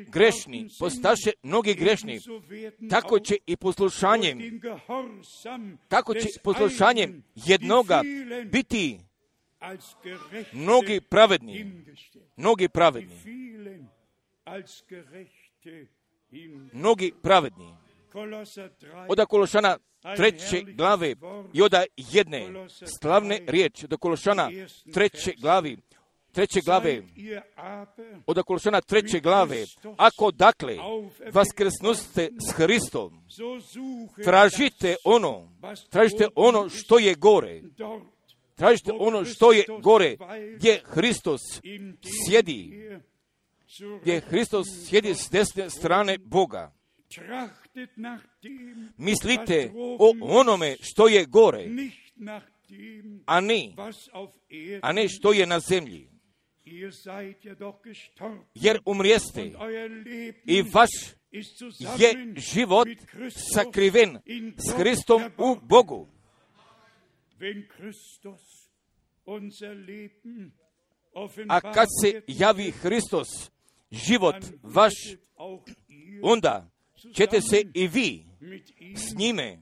grešni, postaše mnogi grešni, tako će i poslušanjem, tako će poslušanjem jednoga biti mnogi pravedni, mnogi pravedni, mnogi pravedni. Od Kološana treće glave i od jedne slavne riječi, od Kološana treće glavi, treće glave, od Kološana treće glave, ako dakle vaskrsnuste s Hristom, tražite ono, tražite ono što je gore, tražite ono što je gore, gdje Hristos sjedi, gdje Hristos sjedi s desne strane Boga. Mislite o onome što je gore, a ne, a ne što je na zemlji. Jer umrijeste i vaš je život sakriven s Hristom u Bogu. A kad se javi Hristos, život vaš, onda ćete se i vi s njime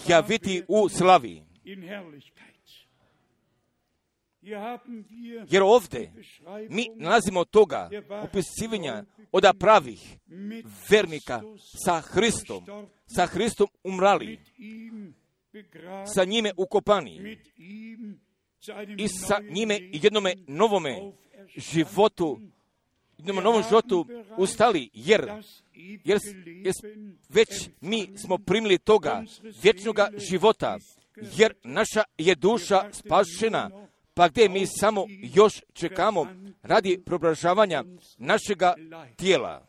javiti u slavi. Jer ovdje mi nalazimo toga opisivanja od pravih vernika sa Hristom, sa Hristom umrali, sa njime ukopani i sa njime jednome novome životu, jednom novom životu ustali, jer, jer, jer već mi smo primili toga vječnoga života, jer naša je duša spašena, pa gdje mi samo još čekamo radi preobražavanja našega tijela.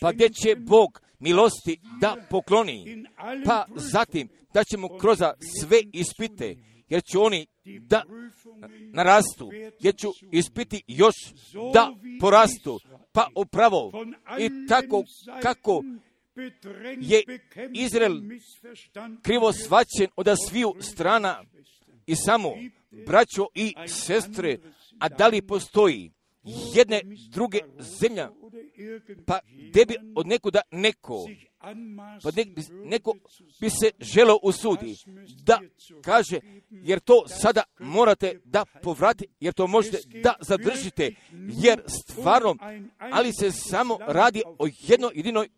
Pa gdje će Bog milosti da pokloni, pa zatim da ćemo kroz sve ispite, jer će oni da narastu, jer ću ispiti još da porastu, pa upravo i tako kako je Izrael krivo svaćen od sviju strana i samo braćo i sestre, a da li postoji jedne druge zemlja, pa gdje bi od nekuda neko, pa ne, neko bi se želo usudi da kaže, jer to sada morate da povratite, jer to možete da zadržite, jer stvarno, ali se samo radi o jednoj jedinoj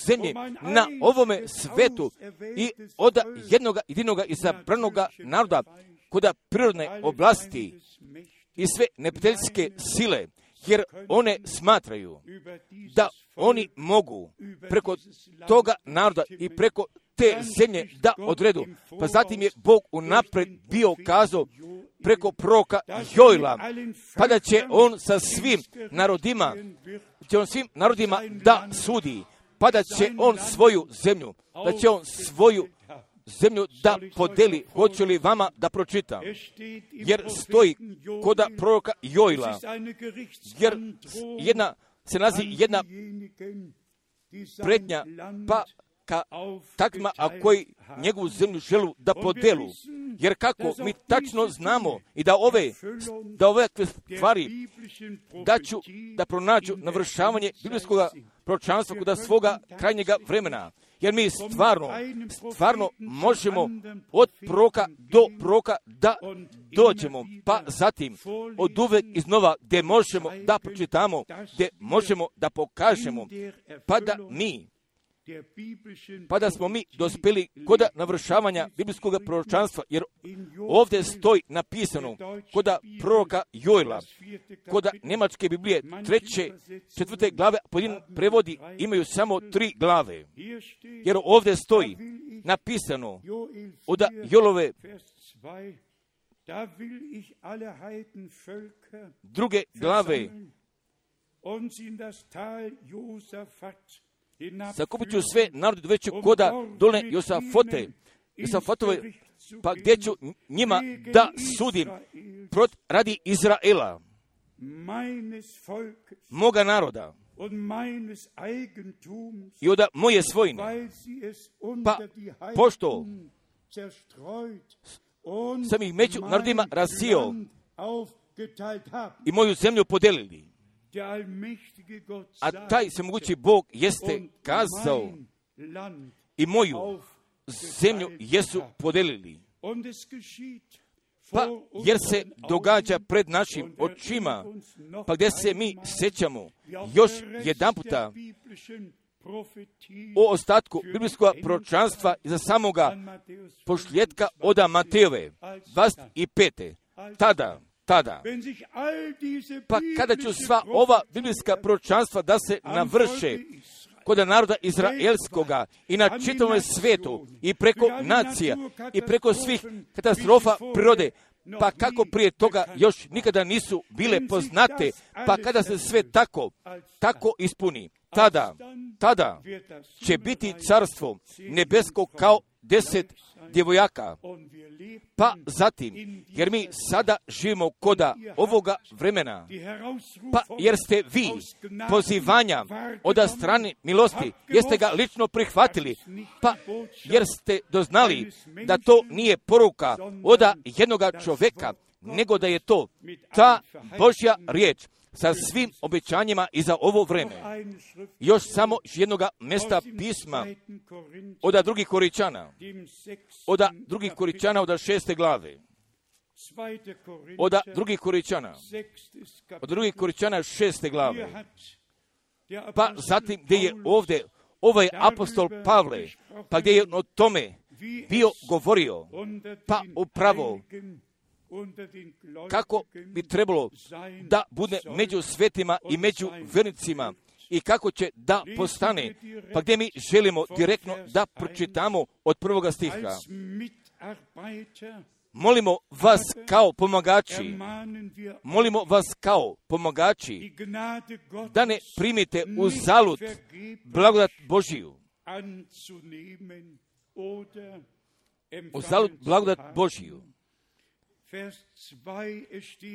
zemlji na ovome svetu i od jednoga jedinoga izabranoga naroda, kod prirodne oblasti i sve neprijateljske sile, jer one smatraju da oni mogu preko toga naroda i preko te zemlje da odredu. Pa zatim je Bog unaprijed bio kazao preko proroka Joila, pa da će on sa svim narodima, će on svim narodima da sudi, pa da će on svoju zemlju, da će on svoju zemlju da podeli. Hoću li vama da pročitam? Jer stoji koda proroka Joila, jer jedna, se nalazi jedna prednja, pa ka takvima, a koji njegovu zemlju želu da podelu. Jer kako mi tačno znamo i da ove, da ove stvari da ću da pronađu navršavanje biblijskog proročanstva kod svoga krajnjega vremena. Jer mi stvarno, stvarno možemo od proroka do proroka da dođemo, pa zatim od uvek iznova gdje možemo da pročitamo, gdje možemo da pokažemo, pa da mi, pa da smo mi dospjeli kod navršavanja biblijskog proročanstva, jer ovdje stoji napisano kod proroka Joila, kod njemačke Biblije treće, četvrte glave, pojedini prevodi imaju samo tri glave, jer ovdje stoji napisano od Joilove druge glave, sakupit ću sve narod doveću koda dolne Josafote, Josafatove, pa gdje ću njima da sudim prot radi Izraela, moga naroda i od moje svojine, pa pošto sam ih među narodima rasio i moju zemlju podelili. A taj svemogući Bog jeste kazao i moju zemlju jesu podelili. Pa jer se događa pred našim očima, pa gdje se mi sjećamo još jedan puta o ostatku biblijskog proročanstva iza samoga pošljetka od Matejove dvadeset pete. Tada, tada, pa kada ću sva ova biblijska proročanstva da se navrše kod naroda izraelskoga i na čitavom svijetu i preko nacija i preko svih katastrofa prirode, pa kako prije toga još nikada nisu bile poznate, pa kada se sve tako, tako ispuni, tada, tada će biti carstvo nebesko kao deset djevojaka. Pa zatim, jer mi sada živimo koda ovoga vremena, pa jer ste vi pozivanja od strane milosti, jeste ga lično prihvatili, pa jer ste doznali da to nije poruka od jednoga čovjeka, nego da je to ta Božja riječ sa svim obećanjima i za ovo vreme. Još samo jednog mjesta pisma od drugih Koričana, od drugih Koričana od šeste glave, od drugih Koričana, od drugih Koričana šeste glave, pa zatim gdje je ovdje ovaj apostol Pavle, pa gdje je o tome bio govorio, pa upravo kako bi trebalo da bude među svetima i među vernicima i kako će da postane, pa gdje mi želimo direktno da pročitamo od prvoga stiha. Molimo vas kao pomagači, molimo vas kao pomagači da ne primite u zalud blagodat Božiju. U zalud blagodat Božiju.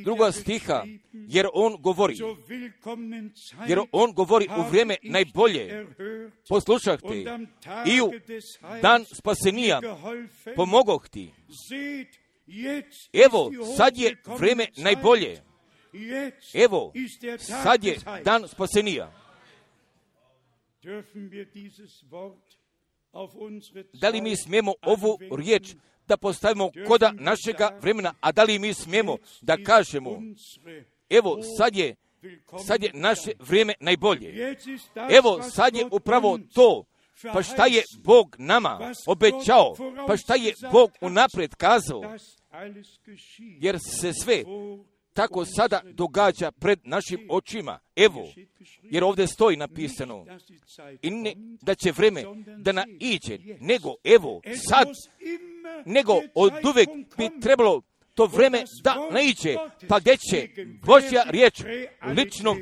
Druga stiha, jer on govori, jer on govori u vrijeme najbolje, poslušahte, i u dan spasenija pomogoh ti. Evo, sad je vrijeme najbolje. Evo, sad je dan spasenija. Da li mi smijemo ovu riječ da postavimo koda našega vremena, a da li mi smijemo da kažemo, evo sad je, sad je naše vrijeme najbolje. Evo sad je upravo to, pa šta je Bog nama obećao, pa šta je Bog unaprijed kazao, jer se sve tako sada događa pred našim očima. Evo, jer ovdje stoji napisano, i ne da će vreme da naiđe, nego evo sad, nego od uvek bi trebalo to vreme da naiđe, pa gdje će Božja riječ lično,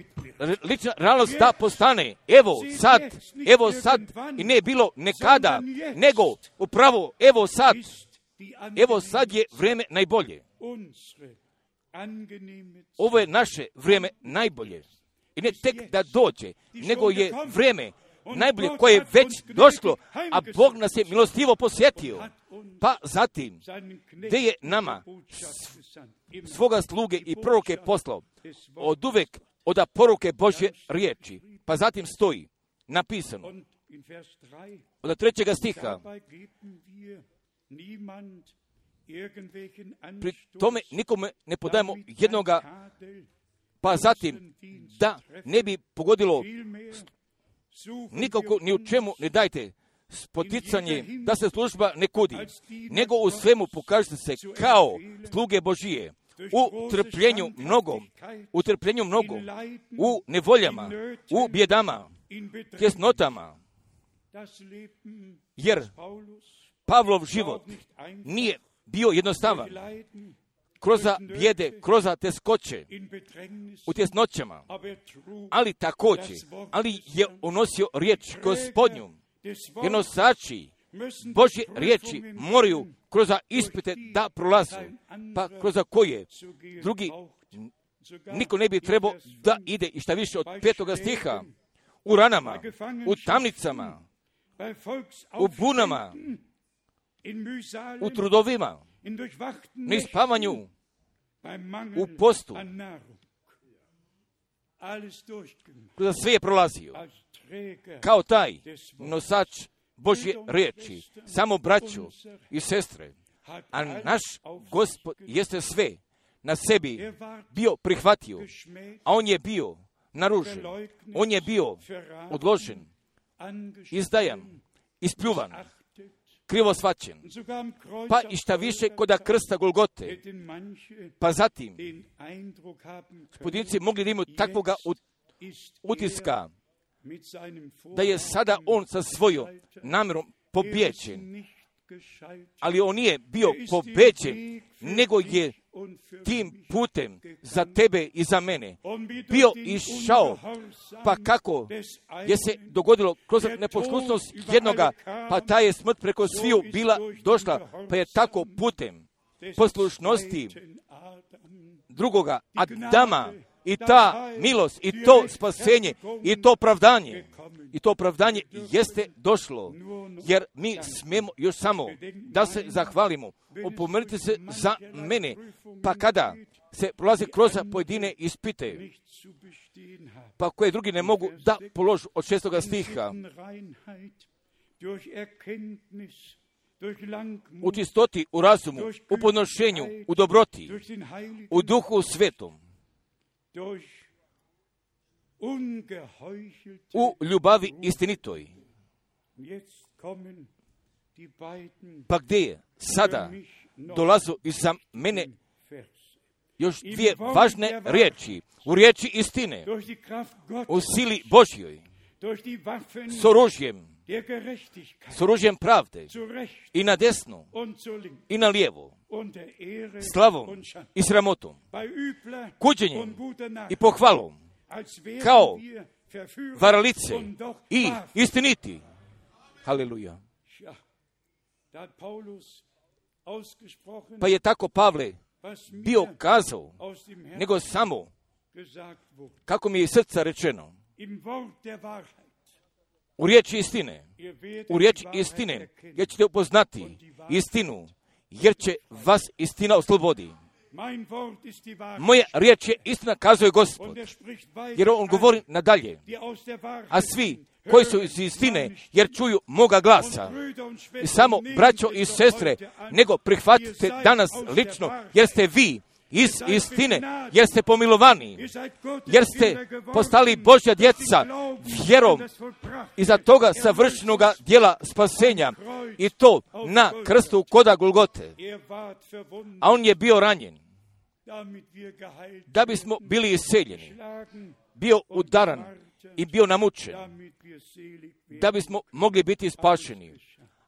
lična realnost da postane. Evo sad, evo sad, i ne bilo nekada, nego upravo evo sad, evo sad je vrijeme najbolje. Ovo je naše vrijeme najbolje. I ne tek da dođe, nego je vrijeme najbolje koje je već došlo, a Bog nas je milostivo posjetio. Pa zatim, gdje je nama svoga sluge i proroke poslao, od uvek od poruke Božje riječi. Pa zatim stoji napisano, od trećega stiha, pri tome nikome ne podajemo jednoga, pa zatim da ne bi pogodilo nikako ni u čemu ne dajte spoticanje da se služba ne kudi, nego u svemu pokažite se kao sluge Božije, u trpljenju mnogo, u trpljenju mnogo, u nevoljama, u bjedama, tjesnotama, jer Pavlov život nije bio jednostavan. kroz bijede, kroz teskoće, u tjesnoćama, ali također, ali je unosio riječ Gospodnju, jer nosači Božje riječi moraju kroz ispite da prolazu, pa kroz koje drugi niko ne bi trebao da ide, i šta više od petoga stiha, u ranama, u tamnicama, u bunama, u trudovima, na spavanju, u postu. Kroz sve je prolazio kao taj nosač Božje riječi, samo braću i sestre, a naš Gospod jeste sve na sebi bio prihvatio, a on je bio naružen, on je bio odložen, izdajan, ispljuvan, krivo shvaćen, pa i šta više koda krsta Golgote, pa zatim pojedinci mogli da imaju takvoga utiska da je sada on sa svojom namjerom pobijeđen, ali on nije bio pobeđen, nego je tim putem za tebe i za mene bio išao, pa kako je se dogodilo kroz neposlušnost jednoga, pa ta je smrt preko sviju bila došla, pa je tako putem poslušnosti drugoga Adama i ta milost i to spasenje i to opravdanje i to opravdanje jeste došlo, jer mi smijemo još samo da se zahvalimo. Opomenite se za mene, pa kada se prolazi kroz pojedine ispite, pa koje drugi ne mogu da položu od šestoga stiha, u čistoti, u razumu, u podnošenju, u dobroti, u duhu svetom, u ljubavi istinitoj. Pa gdje je sada dolazu iza mene još dvije važne riječi, u riječi istine, u sili Božjoj, s oružjem, s oružjem pravde, i na desno, i na lijevo, slavom i sramotom, kuđenjem i pohvalom, kao varalice i istiniti. Haleluja. Pa je tako Pavle bio kazao, nego samo, kako mi je iz srca rečeno, u riječi istine, u riječi istine, jer ćete upoznati istinu, jer će vas istina oslobodi. Moja riječ je istina, kazuje Gospod, jer on govori nadalje, a svi koji su iz istine, jer čuju moga glasa. I samo, braćo i sestre, nego prihvatite danas lično, jer ste vi iz istine, jer ste pomilovani, jer ste postali Božja djeca vjerom iza toga savršenoga djela spasenja, i to na krstu koda Golgote. A on je bio ranjen da bismo bili isceljeni, bio udaran i bio namučen, da bismo mogli biti spašeni.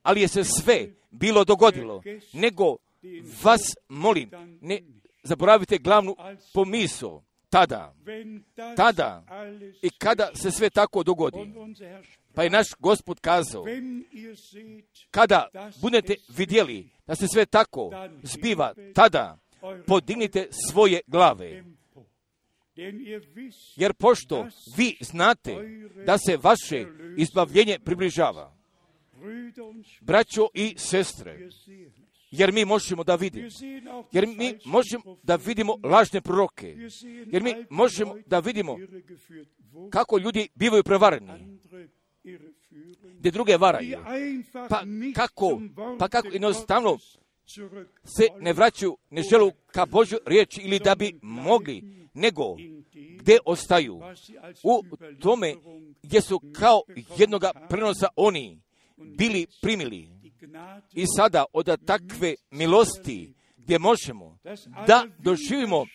Ali je se sve bilo dogodilo, nego vas molim, ne zaboravite glavnu pomisao, tada, tada i kada se sve tako dogodi. Pa je naš Gospod kazao, kada budete vidjeli da se sve tako zbiva, tada podignite svoje glave. Jer pošto vi znate da se vaše izbavljenje približava, braćo i sestre, jer mi možemo da vidimo, jer mi možemo da vidimo lažne proroke, jer mi možemo da vidimo kako ljudi bivaju prevareni, gdje druge varaju, pa kako, pa kako jednostavno se ne vraćaju, ne želu ka Božju riječi ili da bi mogli, nego gdje ostaju u tome gdje su kao jednoga prenosa oni bili primili. I sada od takve milosti gdje možemo da doživimo,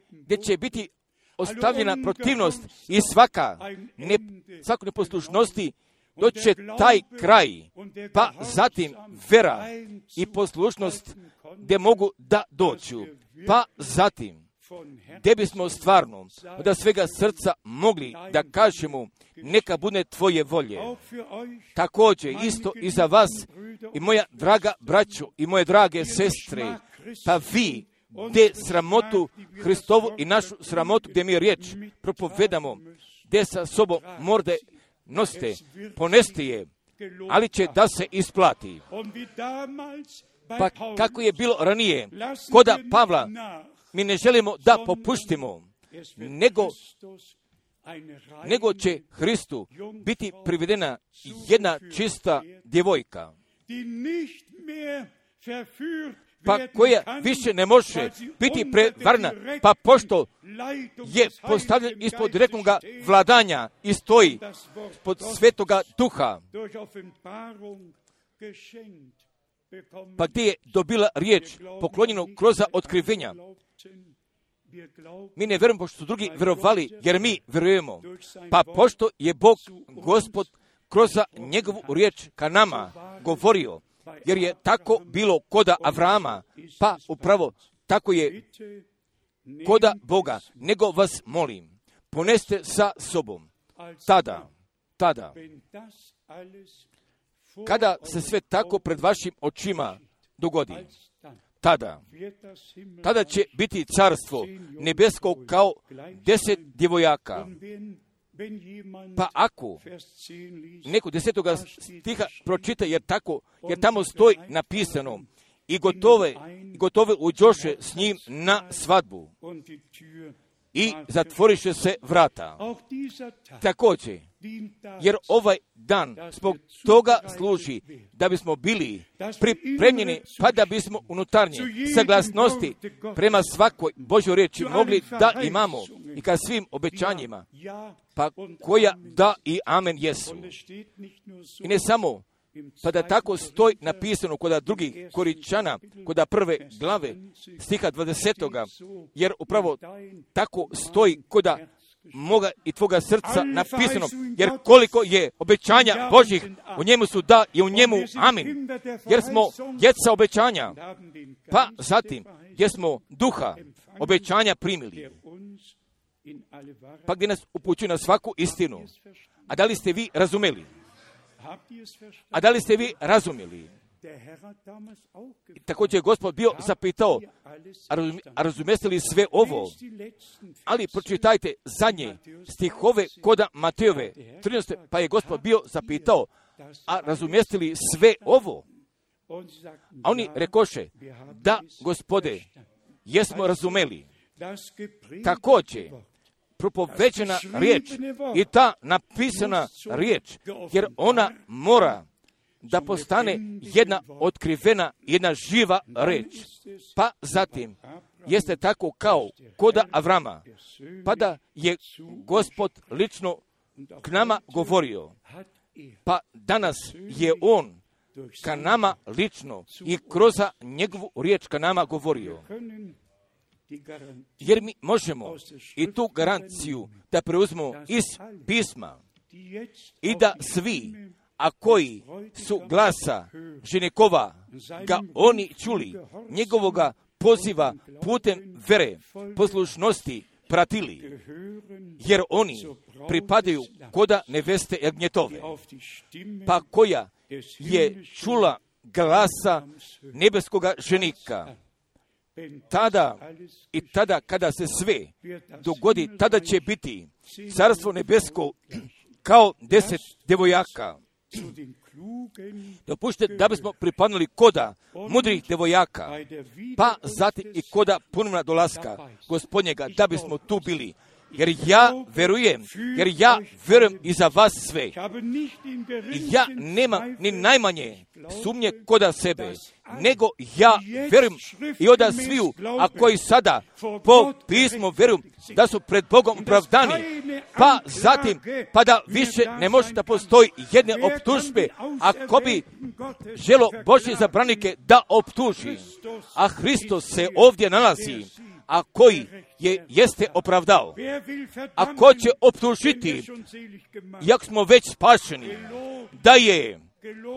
gdje će biti ostavljena protivnost i svaka ne, svako neposlušnosti, doće taj kraj, pa zatim vera i poslušnost gdje mogu da doću. Pa zatim, gdje bismo stvarno od svega srca mogli da kažemo neka bude tvoje volje. Također isto i za vas i moja draga braćo i moje drage sestre, pa vi gdje sramotu Hristovu i našu sramotu gdje mi riječ propovedamo, gdje sa sobom morde nosite, poneste je, ali će da se isplati. Pa kako je bilo ranije, koda Pavla, mi ne želimo da popuštimo, nego, nego će Hristu biti privedena jedna čista djevojka, pa koja više ne može biti prevarna, pa pošto je postavljen ispod direktnog vladanja i stoji pod svetoga duha, pa gdje je dobila riječ poklonjenu kroz otkrivenja. Mi ne vjerujemo pošto su drugi vjerovali, jer mi vjerujemo. Pa pošto je Bog, Gospod, kroz njegovu riječ ka nama govorio, jer je tako bilo koda Avrama, pa upravo tako je koda Boga, nego vas molim, poneste sa sobom. Tada, tada, kada se sve tako pred vašim očima dogodi, tada, tada će biti carstvo nebesko kao deset djevojaka. Pa ako neko desetoga stiha pročita, jer tako, jer tamo stoji napisano, i gotove, gotove uđoše s njim na svadbu i zatvoriše se vrata. Također, jer ovaj dan zbog toga služi da bismo bili pripremljeni, pa da bismo unutarnje saglasnosti prema svakoj Božjoj riječi mogli da imamo i ka svim obećanjima, pa koja da i amen jesu. I ne samo, pa da tako stoji napisano kod drugih Koričana, kod prve glave, stiha dvadesetoga, jer upravo tako stoji kod moga i tvoga srca napisano, jer koliko je obećanja Božjih, u njemu su da i u njemu amin, jer smo djeca obećanja, pa zatim, jer smo duha obećanja primili, pa gdje nas upućuje na svaku istinu. A da li ste vi razumeli? A da li ste vi razumjeli? I također je Gospod bio zapitao, a razumijeste li sve ovo? Ali pročitajte zadnje stihove koda Matejove trinaeste, pa je Gospod bio zapitao, a razumijeste li sve ovo? A oni rekoše, da, Gospode, jesmo razumeli. Također, propoveđena riječ i ta napisana riječ, jer ona mora da postane jedna otkrivena, jedna živa riječ. Pa zatim, jeste tako kao koda Avrama, pa da je Gospod lično k nama govorio, pa danas je On ka nama lično i kroz njegovu riječ ka nama govorio. Jer mi možemo i tu garanciju da preuzmemo iz pisma i da svi, a koji su glasa ženikova ga oni čuli, njegovoga poziva putem vere, poslušnosti pratili, jer oni pripadaju koda neveste Jagnjetove, pa koja je čula glasa nebeskoga ženika. Tada i tada kada se sve dogodi, tada će biti carstvo nebesko kao deset djevojaka. Dopušte da bismo pripadnuli koda mudrih djevojaka, pa zatim i koda ponovna dolaska Gospodnjega, da bismo tu bili. Jer ja verujem, jer ja verujem i za vas sve. I ja nemam ni najmanje sumnje koda sebe, nego ja verujem i oda sviju, a koji sada po pismu verujem da su pred Bogom opravdani, pa zatim, pa da više ne može da postoji jedne optužbe, ako bi želo Božje zabranike da optuži, a Hristos se ovdje nalazi, a koji je jeste opravdao. A ko će optužiti, jak smo već spašeni, da je,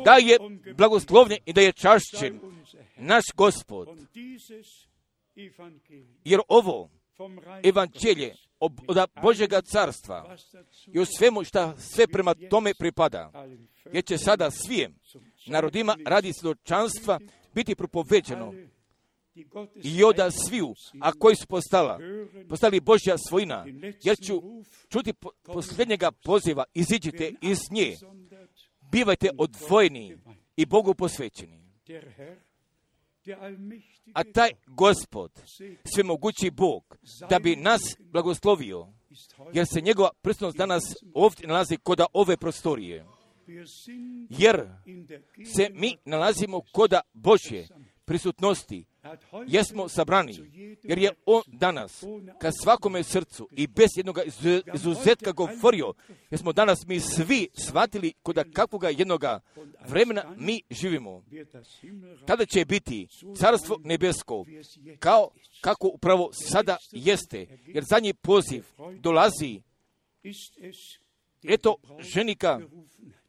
da je blagoslovljen i da je čašćen naš Gospod. Jer ovo evanđelje od Božjega carstva i u svemu šta sve prema tome pripada, jer će sada svim narodima radi svjedočanstva biti propoveđeno i oda sviju, a koji su postala, postali Božja svojina, jer ću čuti po, posljednjega poziva, iziđite iz nje, bivajte odvojeni i Bogu posvećeni. A taj Gospod, svemogući Bog, da bi nas blagoslovio, jer se njegova prisutnost danas ovdje nalazi kod ove prostorije, jer se mi nalazimo kod Božje prisutnosti, jesmo sabrani, jer je on danas ka svakome srcu i bez jednog izuzetka govorio, jer smo danas mi svi shvatili kod kakvoga jednoga vremena mi živimo. Tada će biti carstvo nebesko, kao kako upravo sada jeste, jer zadnji poziv dolazi, eto ženika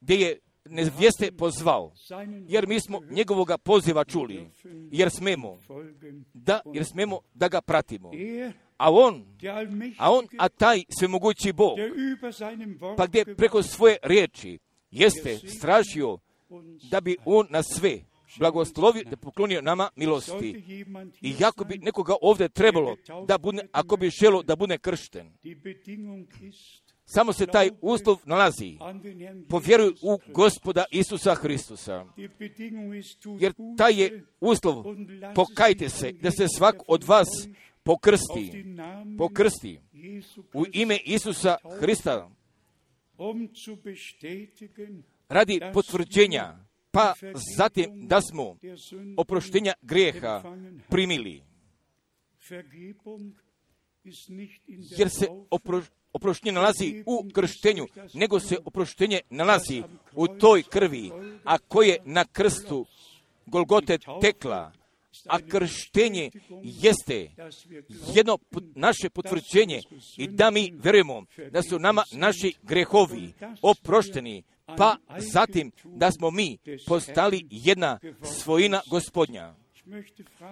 gdje je nevjeste pozvao, jer mi smo njegovoga poziva čuli, jer smemo da, jer smemo da ga pratimo. A on, a on, a taj svemogući Bog, pa gdje preko svoje riječi jeste stražio da bi on na sve blagoslovio, da poklonio nama milosti. I jako bi nekoga ovdje trebalo da bude, ako bi želo da bude kršten, samo se taj uslov nalazi. Povjeruj u Gospoda Isusa Hristusa. Jer taj je uslov, pokajte se, da se svak od vas pokrsti, pokrsti u ime Isusa Hrista, radi potvrđenja, pa zatim da smo oproštenja grijeha primili. Jer se oproštenja oproštenje nalazi u krštenju, nego se oproštenje nalazi u toj krvi, a koje na krstu Golgote tekla. A krštenje jeste jedno naše potvrđenje i da mi vjerujemo da su nama naši grehovi oprošteni, pa zatim da smo mi postali jedna svojina Gospodnja.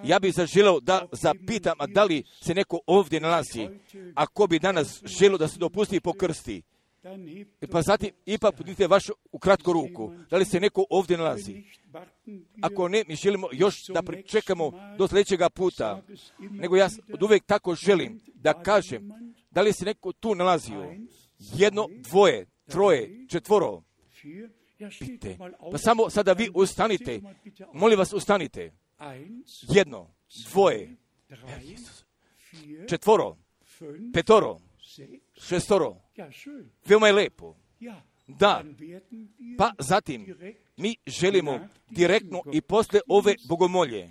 Ja bih zaželio da zapitam, a da li se neko ovdje nalazi, ako bi danas želio da se dopusti po krsti, pa zatim ipak podignite vašu ukratko ruku, da li se neko ovdje nalazi. Ako ne, mi želimo još da pričekamo do sljedećega puta, nego ja od uvijek tako želim da kažem, da li se neko tu nalazio, jedno, dvoje, troje, četvoro, pite, pa samo sada vi ustanite, molim vas ustanite. Jedno, dvoje, četvoro, petoro, šestoro, veoma je lepo. Da, pa zatim mi želimo direktno i posle ove bogomolje,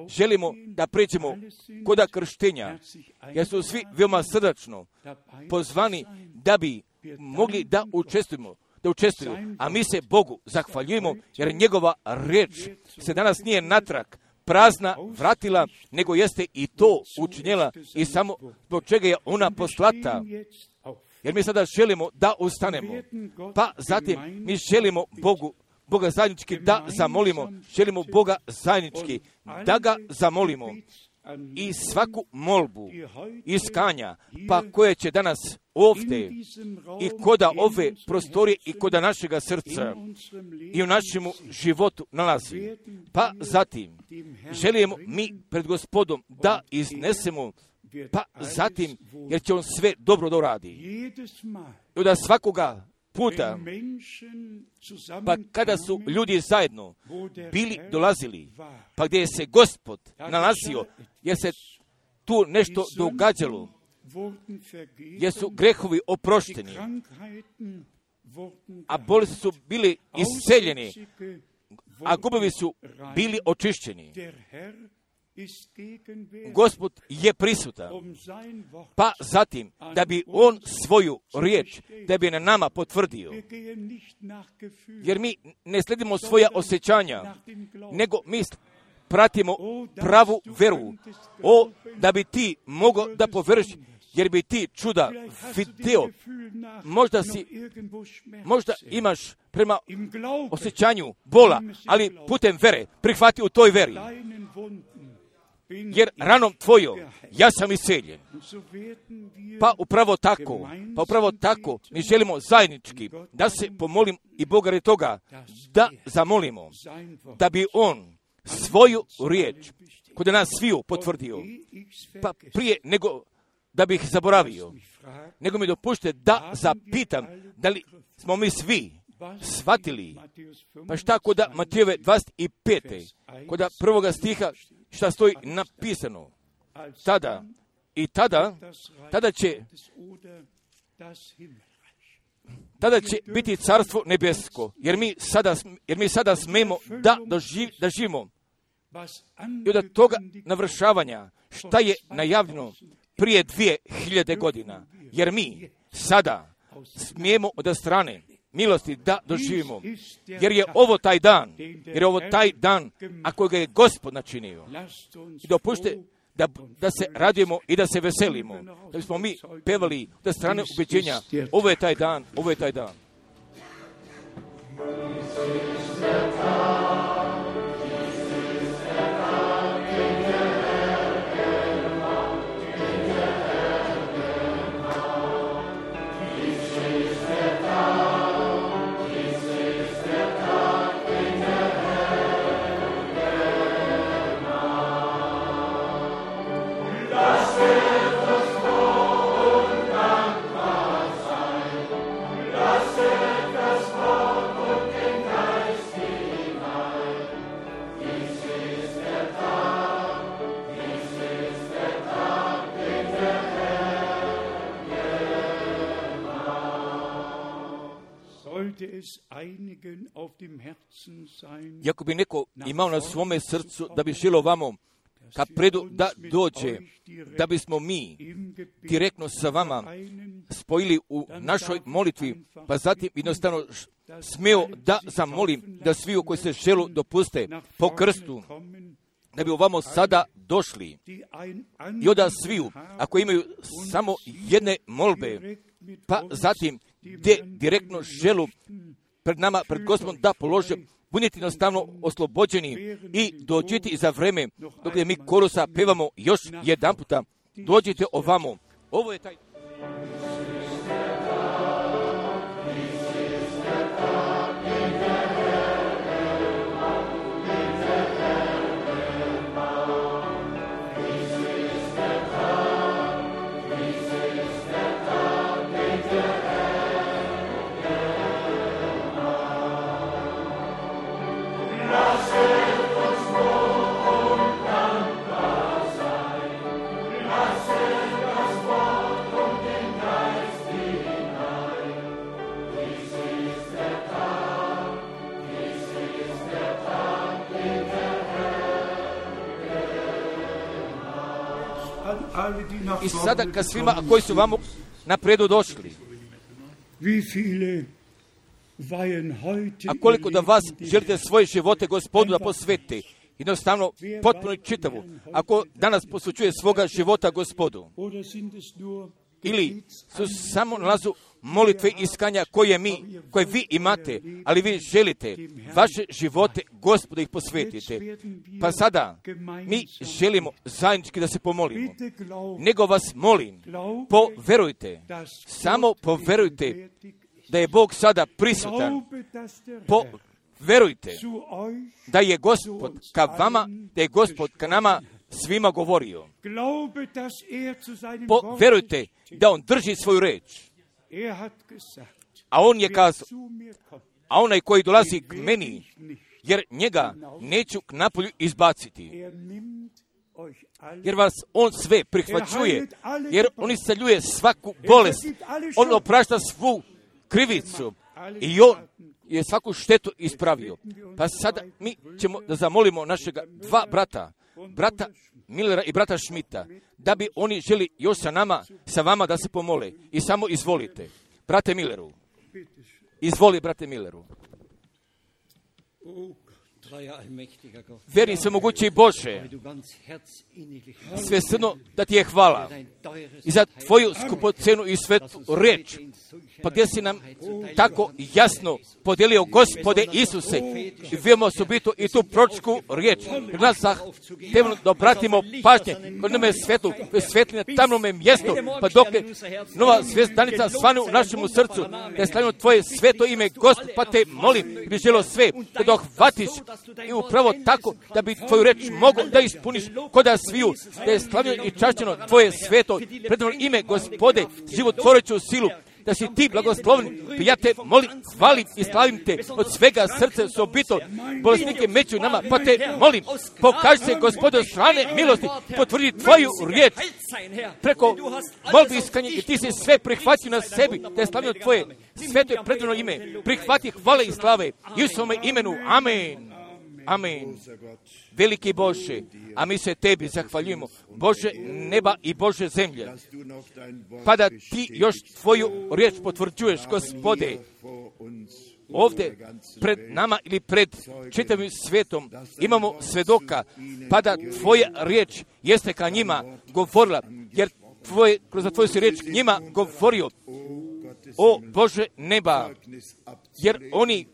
želimo da pređemo koda krštenja, jer su svi veoma srdačno pozvani da bi mogli da učestvujemo, da učestvuju, a mi se Bogu zahvaljujemo, jer njegova riječ se danas nije natrag prazna vratila, nego jeste i to učinjela i samo zbog čega je ona poslata. Jer mi sada želimo da ustanemo, pa zatim mi želimo Bogu, Boga zajednički da zamolimo, želimo Boga zajednički da ga zamolimo i svaku molbu iskanja, pa koje će danas ovdje i koda ove prostorije i koda našega srca i u našemu životu nalazi. Pa zatim želimo mi pred Gospodom da iznesemo, pa zatim jer će on sve dobro da uradi. I da svakoga puta, pa kada su ljudi zajedno bili dolazili, pa gdje je se Gospod nalazio, jer se tu nešto događalo, jer su grehovi oprošteni, a bolesti su bili isceljeni, a gubovi su bili očišćeni. Gospod je prisutan, pa zatim da bi on svoju riječ, da bi na nama potvrdio, jer mi ne sledimo svoja osjećanja, nego mi pratimo pravu veru. O, da bi ti mogao da poveruješ, jer bi ti čuda video, možda si, možda imaš prema osjećanju bola, ali putem vere, prihvati u toj veri. jer ranom tvojom ja sam isceljen. Pa upravo tako, pa upravo tako mi želimo zajednički da se pomolim i Boga radi toga, da zamolimo, da bi On svoju riječ kod nas sviju potvrdio. Pa prije nego da bih zaboravio, nego mi dopušte da zapitam da li smo mi svi shvatili, pa šta kod Matejeve dvadeset pete, kod prvoga stiha šta stoji napisano, tada i tada, tada će tada će biti carstvo nebesko, jer mi sada, jer mi sada smemo da, doživ, da živimo i od toga navršavanja šta je najavljeno prije dvije hiljade godina, jer mi sada smijemo od strane milosti da doživimo, jer je ovo taj dan, jer je ovo taj dan, a kojega je Gospod načinio. I dopušte da, da se radujemo i da se veselimo, da bismo mi pevali od strane ubeđenja, ovo je taj dan, ovo je taj dan. Jako bi neko imao na svome srcu da bi želio vamo ka predu da dođe, da bismo mi direktno sa vama spojili u našoj molitvi, pa zatim jednostavno smeo da zamolim da svi koji se želu dopuste po krstu, da bi ovamo sada došli i onda sviju, ako imaju samo jedne molbe, pa zatim gdje direktno želu pred nama, pred Gospodom da polože, budite jednostavno oslobođeni i dođite za vreme dok mi korusa pevamo još jedan puta. Dođite ovamo. Ovo je taj... I sada ka svima koji su vamo napredu došli, a koliko da vas želite svoje živote Gospodu da posvete, jednostavno potpuno i čitavu, ako danas posvećuje svoga života Gospodu, ili su samo nalazu molitve iskanja koje mi, koje vi imate, ali vi želite vaše živote Gospodu ih posvetite. Pa sada mi želimo zajednički da se pomolimo. Nego vas molim, poverujte, samo poverujte da je Bog sada prisutan. Poverujte da je Gospod ka vama, da je Gospod ka nama svima govorio. Poverujte da On drži svoju reč. A On je kazao, a onaj koji dolazi k meni, jer njega neću k napolju izbaciti. Jer vas On sve prihvaćuje, jer On isceljuje svaku bolest, On oprašta svu krivicu i On je svaku štetu ispravio. Pa sada mi ćemo da zamolimo našega dva brata, brata Millera i brata Schmidta, da bi oni želi još sa nama, sa vama da se pomole. I samo izvolite, brate Milleru. Izvoli, brate Milleru. Veri svemogući Bože, svesrdno da ti je hvala i za tvoju skupocenu i svetu reč, pa gdje si nam tako jasno podijelio, Gospode Isuse, i vijemo osobito i tu proročku riječ. Jer nas zahtevno da obratimo pažnje kod nama je svetlu, svetli na tamnome mjestu, pa dok je nova zvjezdanica svane u našemu srcu, da je slavimo tvoje sveto ime, Gospod, pa te molim, i bi želo sve, da dohvatiš i upravo tako, da bi tvoju reč mogo da ispuniš koda sviju, da je slavljeno i čašćeno tvoje sveto, predivno ime, Gospode, životvoreću silu, da si ti blagoslovni, pa ja te molim, hvalim i slavim te od svega srca osobito, bolesnike među nama, pa te molim, pokaži se, Gospode, od strane milosti, potvrdi tvoju riječ preko molbi iskanje i ti si sve prihvatio na sebi, da je slavljeno tvoje sveto i predivno ime, prihvati hvale i slave, i u svome imenu, amen. Amen. Veliki Bože, a mi se tebi zahvaljujemo, Bože neba i Bože zemlje, pa da ti još tvoju riječ potvrđuješ, Gospode, ovdje pred nama ili pred čitavim svijetom imamo svedoka, pa da tvoja riječ jeste ka njima govorila, jer tvoje, kroz tvoju si riječ njima govorio, o Bože neba, jer oni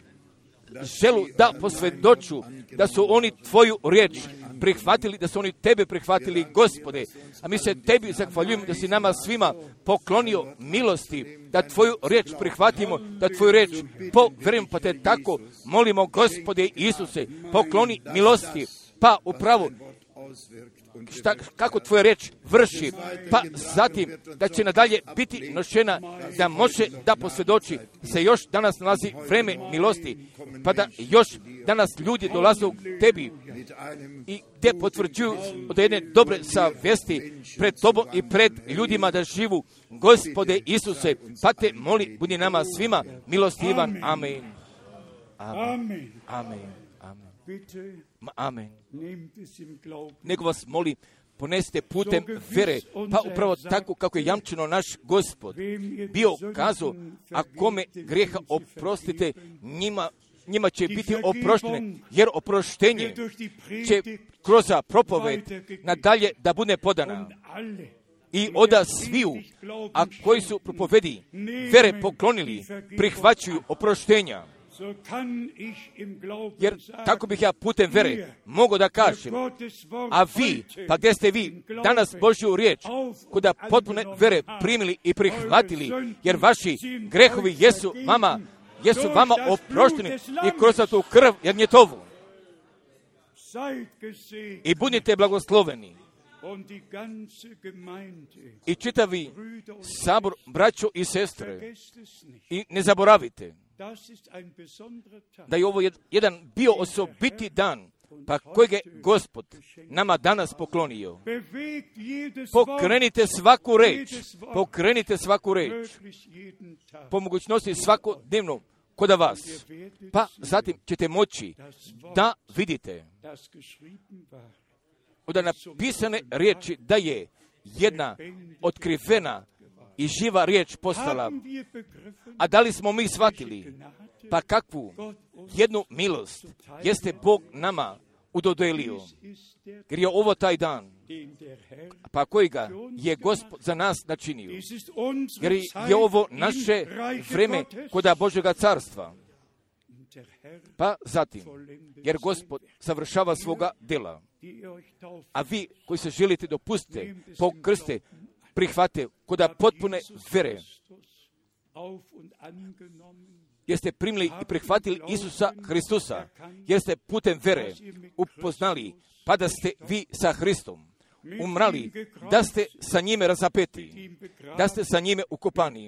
želu da posvjedoču da su oni tvoju riječ prihvatili, da su oni tebe prihvatili, Gospode. A mi se tebi zahvaljujemo da si nama svima poklonio milosti, da tvoju riječ prihvatimo, da tvoju riječ povjerujemo, pa te tako molimo, Gospode Isuse, pokloni milosti, pa upravo šta, kako tvoja riječ vrši, pa zatim da će nadalje biti nošena, da može da posvjedoči se još danas nalazi vreme milosti, pa da još danas ljudi dolaze u tebi i te potvrđuju od jedne dobre savjesti pred tobom i pred ljudima da živu, Gospode Isuse, pa te moli, budi nama svima milostivan, amen. Amen. Amen. Amen. Nego vas molim, ponesite putem vere, pa upravo tako kako je jamčeno naš Gospod bio kazao, a kome grijeha oprostite, njima, njima će biti oproštene, jer oproštenje će kroz propoved nadalje da bude podana. I oda sviju, a koji su propovedi vere poklonili, prihvaćuju oproštenja. Jer tako bih ja putem vere mogao da kažem, a vi, pa gdje ste vi danas Božju riječ, kuda potpune vere primili i prihvatili, jer vaši grehovi jesu vama, jesu vama oprošteni i kroz tu krv jagnjetovu. I budite blagosloveni. I čitavi sabor, braćo i sestre, i ne zaboravite da je ovo jedan bio osobiti dan, pa kojeg je Gospod nama danas poklonio. Pokrenite svaku reč, pokrenite svaku reč, po mogućnosti svakodnevno kod vas, pa zatim ćete moći da vidite od napisane riječi da je jedna otkrivena i živa riječ postala. A da li smo mi shvatili, pa kakvu jednu milost jeste Bog nama udodelio, jer je ovo taj dan, pa kojega je Gospod za nas načinio, jer je ovo naše vreme koda Božjega carstva. Pa zatim, jer Gospod završava svoga dela, a vi koji se želite dopustite, pokrste, prihvate koda potpune vere, jeste primili i prihvatili Isusa Hristusa, jeste putem vere upoznali, pa da ste vi sa Hristom umrali, da ste sa njime razapeti, da ste sa njime ukopani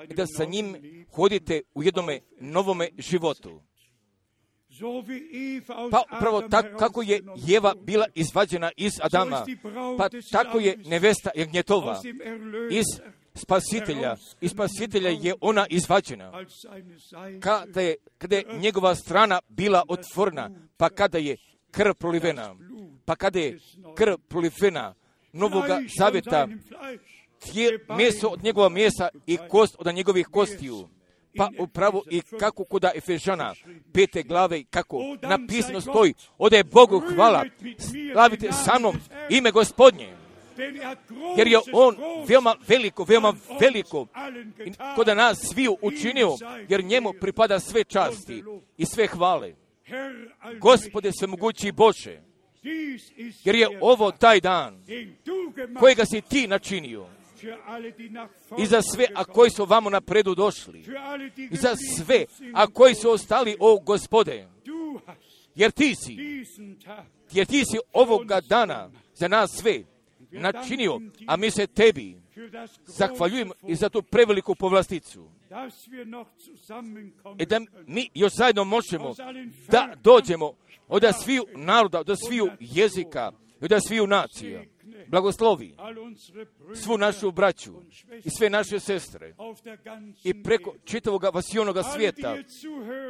i da sa njim hodite u jednome novome životu. Pa upravo tako kako je Jeva bila izvađena iz Adama, pa tako je nevesta jagnjetova iz spasitelja, iz spasitelja je ona izvađena. Kada je, kada je njegova strana bila otvorena, pa kada je krv prolivena, pa kada je krv prolivena novoga zavjeta, tije meso od njegova mesa i kost od njegovih kostiju. Pa upravo i kako kod Efežana pete glave, kako napisano stoji, ode Bogu hvala, slavite sa mnom ime Gospodnje. Jer je on veoma veliko, veoma veliko kod nas sviju učinio, jer njemu pripada sve časti i sve hvale. Gospode svemogući Bože, jer je ovo taj dan kojega si ti načinio. I za sve, a koji su vamo napredu došli. I za sve, a koji su ostali, o Gospode. Jer ti si, jer ti si ovoga dana za nas sve načinio, a mi se tebi zahvaljujemo i za tu preveliku povlasticu. I da mi još zajedno možemo da dođemo od sviju naroda, od sviju jezika, od sviju nacija. Blagoslovi svu našu braću i sve naše sestre i preko čitavog vasionoga svijeta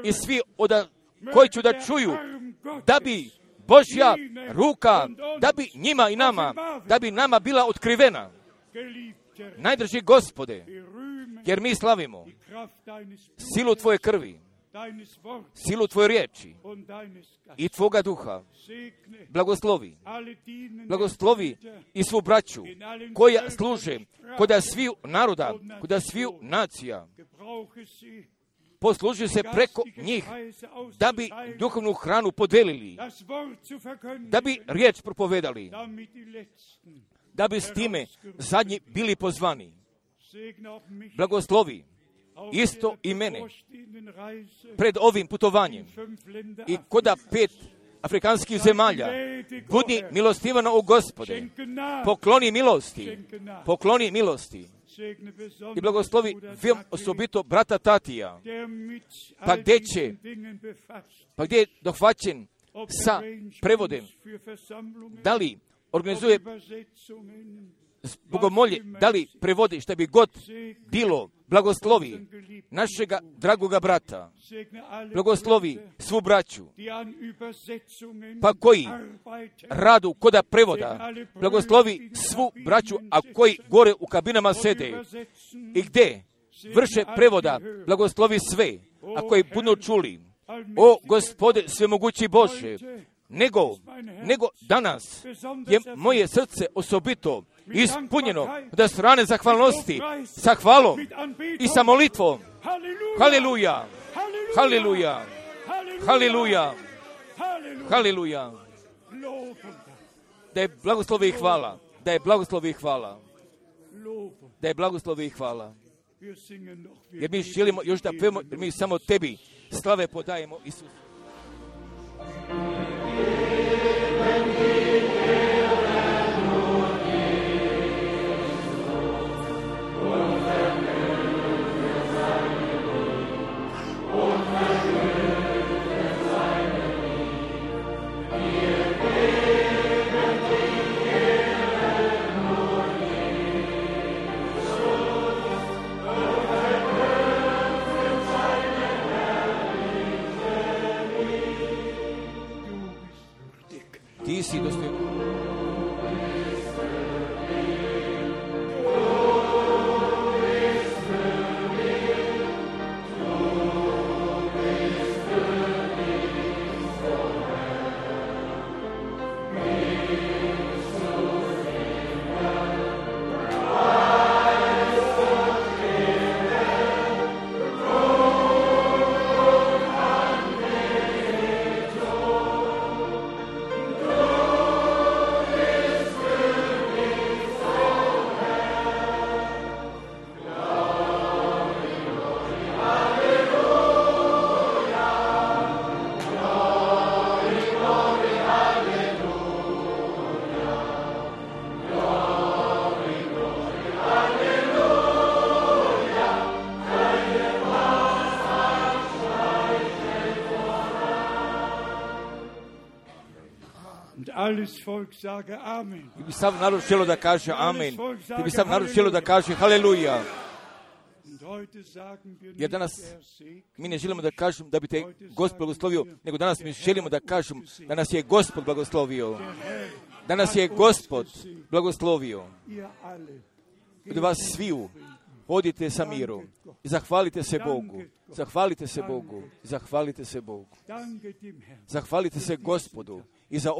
i svi oda koji ću da čuju da bi Božja ruka, da bi njima i nama, da bi nama bila otkrivena. Najdrži Gospode, jer mi slavimo silu Tvoje krvi, silu Tvoje riječi i Tvoga duha. Blagoslovi, blagoslovi i svu braću koja služe kod sviju naroda, kod sviju nacija. Posluži se preko njih da bi duhovnu hranu podelili, da bi riječ propovedali, da bi s time zadnji bili pozvani. Blagoslovi isto i mene pred ovim putovanjem i koda pet afrikanskih zemalja. Budi milostivano u Gospode, pokloni milosti, pokloni milosti i blagoslovi veoma osobito brata Tatija, pa gdje će, pa gdje je dohvaćen sa prevodem, da li organizuje bogomolje, da li prevodi šta bi god bilo. Blagoslovi našega dragoga brata, blagoslovi svu braću, pa koji radu koda prevoda, blagoslovi svu braću, a koji gore u kabinama sede i gdje vrše prevoda, blagoslovi sve, a koji budu čuli, o Gospode svemogući Bože, nego, nego danas je moje srce osobito ispunjeno da strane zahvalnosti sa hvalom i sa molitvom. Haleluja, haleluja, haleluja, haleluja. Da je blagoslovi i hvala, da je blagoslovi i hvala, da je blagoslovi i hvala. Jer mi želimo još da pevamo, jer mi samo tebi slave podajemo, Isus. Ti si dostojan. Ti bi sav narod želio da kaže amen. Ti bi sav narod želio da kaže haleluja. Jer danas mi ne želimo da kažem da bi te Gospod blagoslovio, nego danas mi želimo da kažem da nas je Gospod blagoslovio. Da nas je Gospod blagoslovio. Od vas sviju hodite sa mirom i zahvalite se Bogu. Zahvalite se Bogu, zahvalite se Bogu. Zahvalite se Gospodu i za